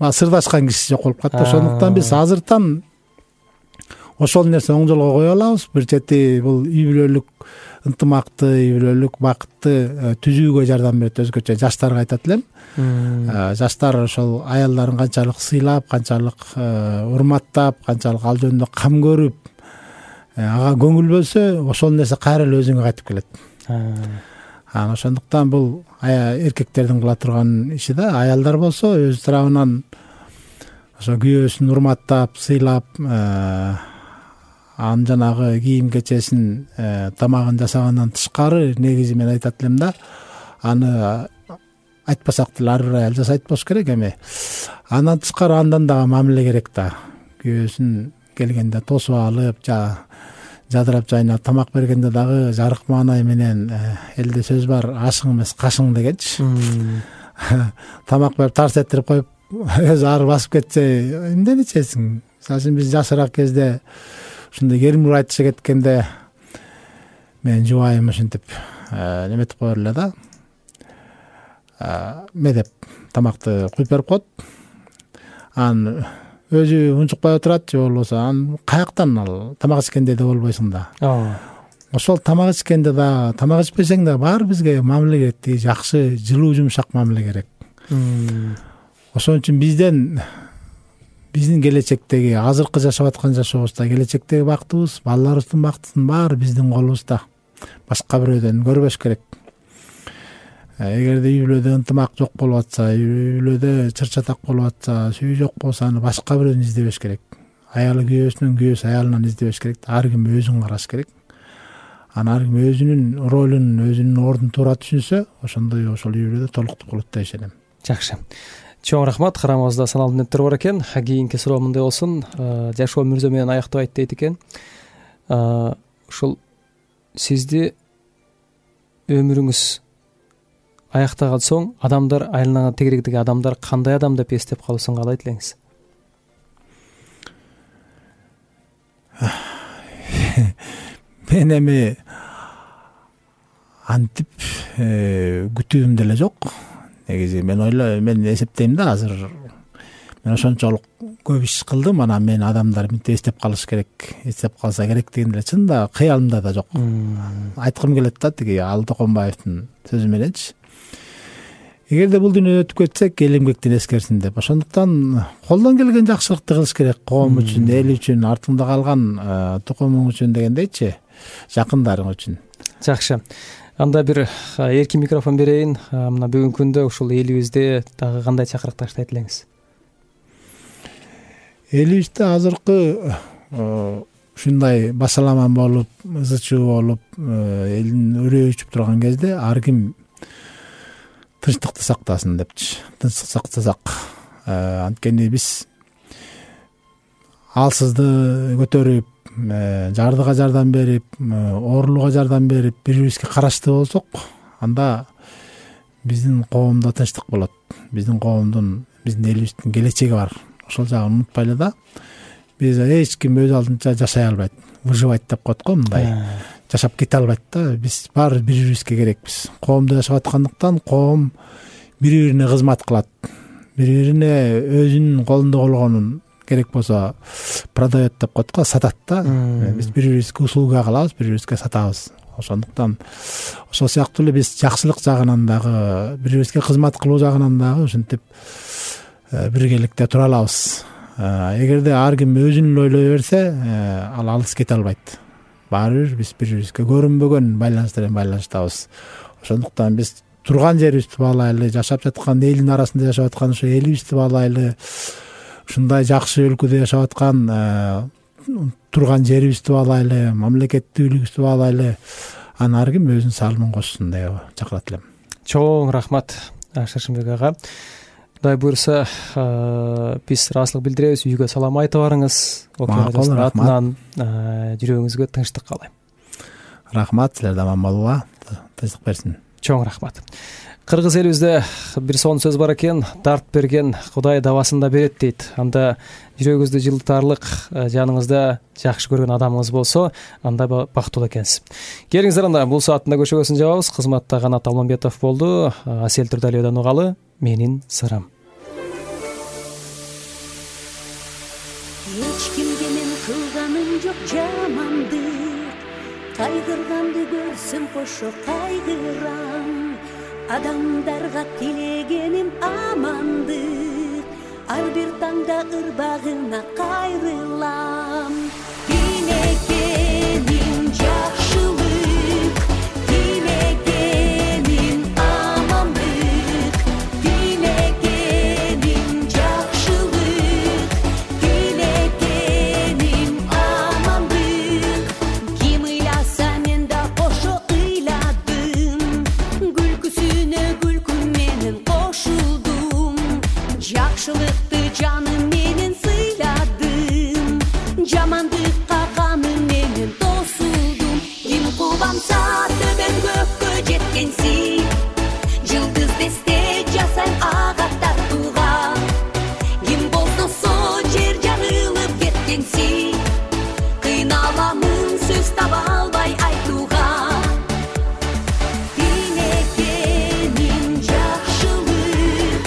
сырдашкан киши жок болуп калат. Ошондуктан биз азыртан ошол нерсе оң жолго кое алабыз. Бир чети бул үй бүлөлүк ынтымакты, үй бүлөлүк бакытты түзүүгө жардам берет. Өзгөчө жаштарга айтат элем. Жаштар ошол аялдарын канчалык сыйлап, канчалык урматтап, канчалык ал жөнүндө кам көрүп, ага көңүл бөлсө, ошол нерсе кайра эле өзүңө кайтып келет. Анан ошондуктан бул эркектердин кыла турган иши да. Аялдар болсо өз тарабынан ошо күйөөсүн урматтап, сыйлап, анын жанагы кийим кечесин, тамагын жасагандан тышкары негизи мен айтат элем да, аны айтпасак деле ар бир аял жасайт болуш керек. Эми андан тышкары андан дагы мамиле керек да. Күйөөсүн келгенде тосуп алып, жадырап жайнап тамак бергенде дагы жарык маанай менен, элде сөз бар, ашың эмес кашың дегенчи. Тамак берип тарс этирип коюп, өзү ары басып кетсе, эмнени ичесиң? Мисалы үчүн биз жашыраак кезде ушундай керимдүү айтыша кеткенде, мен жубайым ушинтип неметип коер эле да. Ме деп тамакты куюп берип коет. Анан өзү унчукпай отурат, же болбосо анан каяктан ал тамак ичкенде да болбойсуң да. Ошол тамак ичкенде да, тамак ичпесең да баары бизге мамиле керек, жакшы, жылуу, жумшак мамиле керек. Ошон үчүн бизден биздин келечектеги, азыркы жашап аткан жашообузда келечектеги бактыбыз, балдарыбыздын бактысынын баары биздин колубузда. Башка бирөөдөн көрбөш керек. Эгерде үй бүлөдө ынтымак жок болуп атса, үй бүлөдө чыр-чатак болуп атса, сүйүү жок болсо, аны башка бирөөдөн издебеш керек. Аялы күйөөсүнөн, күйөөсү аялынан издебеш керек. Ар ким өзүн караш керек. Анан ар ким өзүнүн ролун, өзүнүн ордун туура түшүнсө, ошондой ошол үй бүлөдө толуктук болот деп ишенем. Жакшы. Чоң рахмат. Карамыбызда саналуу мүнөттөр бар экен. Кийинки суроо мындай болсун. Жашоо мырза менен аяктабайт дейт экен. Ушул сизди өмүрүңүз аяктаган соң адамдар, айылыңа тегерегдеги адамдар кандай адам деп эстеп калуусун каалайт элеңиз? Мен эми антип күтүүм деле жок. Негизи мен ойлойм, мен эсептейм да, азыр мен ошончолук көп иш кылдым, анан мен адамдар мынтип эстеп калыш керек, эстеп калса керек деген деле чынында кыялымда да жок. Айткым келет да, тиги Алы Токонбаевдин сөзү мененчи. Эгерде бул дүйнөдөн өтүп кетсек, эл эмгектен эскерсин деп. Ошондуктан колдон келген жакшылыкты кылыш керек, коом үчүн, эл үчүн, артыңда калган тукумуң үчүн дегендейчи, жакындарың үчүн. Жакшы. Анда бир эркин микрофон берейин. Мына бүгүнкү күндө ушул элибизде дагы кандай чакырык таштайт элеңиз? Элибизде азыркы ушундай басаламан болуп, ызы чуу болуп, элдин үрөө үчүп турган кезде ар ким тынчтыкты сактасын депчи. Тынчтык сактасак, анткени биз алсызды көтөрүп, жардыга жардам берип, оорулууга жардам берип, бири бирибизге караштуу болсок, анда биздин коомдо тынчтык болот. Биздин коомдун, биздин элибиздин келечеги бар. Ошол жагын унутпайлы да. Биз эч ким өз алдынча жашай албайт, выживать деп коет го, мындай. Жашап кете албайт да. Биз баары бири бирибизге керекпиз. Коомдо жашап аткандыктан коом бири-бирине кызмат кылат. Бири-бирине өзүнүн колунда болгонун керек болсо продает деп коет го, сатат да. Биз бири-бирибизге услуга кылабыз, бири-бирибизге сатабыз. Ошондуктан ошол сыяктуу эле биз жакшылык жагынан дагы, бири-бирибизге кызмат кылуу жагынан дагы ушинтип биргеликте тура алабыз. Эгерде ар ким өзүн эле ойлой берсе, ал алыс кете албайт. Баары бир биз бири-бирибизге көрүнбөгөн байланыштар менен байланыштабыз. Ошондуктан биз турган жерибизди баалайлы, жашап жаткан элдин арасында жашап аткан ошо элибизди баалайлы, ушундай жакшы өлкөдө жашап аткан турган жерибизди баалайлы, мамлекеттүүлүгүбүздү баалайлы. Аны ар ким өзүнүн салымын кошсун деп чакырат элем. Чоң рахмат Шаршембек ага. Кудай буйрса, биз ыраазычылык билдиребиз, үйгө салам айтып барыңыз. Окуянын атынан жүрөгүңүзгө тынчтык каалайм. Рахмат, силерде аман болууга тынчтык берсин. Чоң рахмат. Кыргыз элибизде бир сонун сөз бар экен, дарт берген Кудай дабасын да берет дейт. Анда жүрөгүңүздү жылытарлык, жаныңызда жакшы көргөн адамыңыз болсо, анда бактылуу экенсиз. Келиңиздер, анда бул сааттын көшөгөсүн жабабыз. Кызматта Канат Алмамбетов болду. Асел Турдалиевден угалы менин сырым. Эч кимге мен кылганым жок жамандык, кайгырганды көрсөм кошо кайгырам. Адамдарга тилегеним амандык, ар бир таңда ырбагына кайрылам. Тилегеним жакшылык, тилегеним амандык, тилегеним жакшылык, тилегеним амандык. Ким ыйласа мен да кошо ыйладым, күлкүсүнө күлкү менен кошулдум. Жакшылыкты жаным менен сыйладым, жамандыкка каным менен тосулдум. Ким кубанса төбөн көккө жеткенси, жылдыз десте жасайм ага тартууга. Ким болсо жер жарылып кеткенси, кыйналамын сөз таба албай айтууга. Тилегеним жакшылык,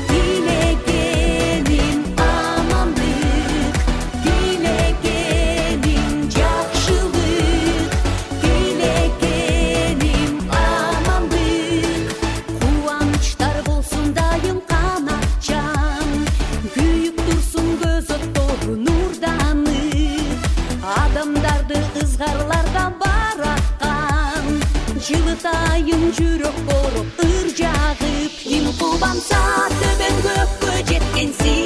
тилегеним амандык, тилегеним жакшылык, тилегеним амандык. Кубанычтар болсун дайым канатчам, күйүп турсун көз оттору нурданып. Адамдарды ызгарлардан бараткан, жылытайын жүрөк кооп ыр жагып. Ким кубанса төбөн көккө жеткенси,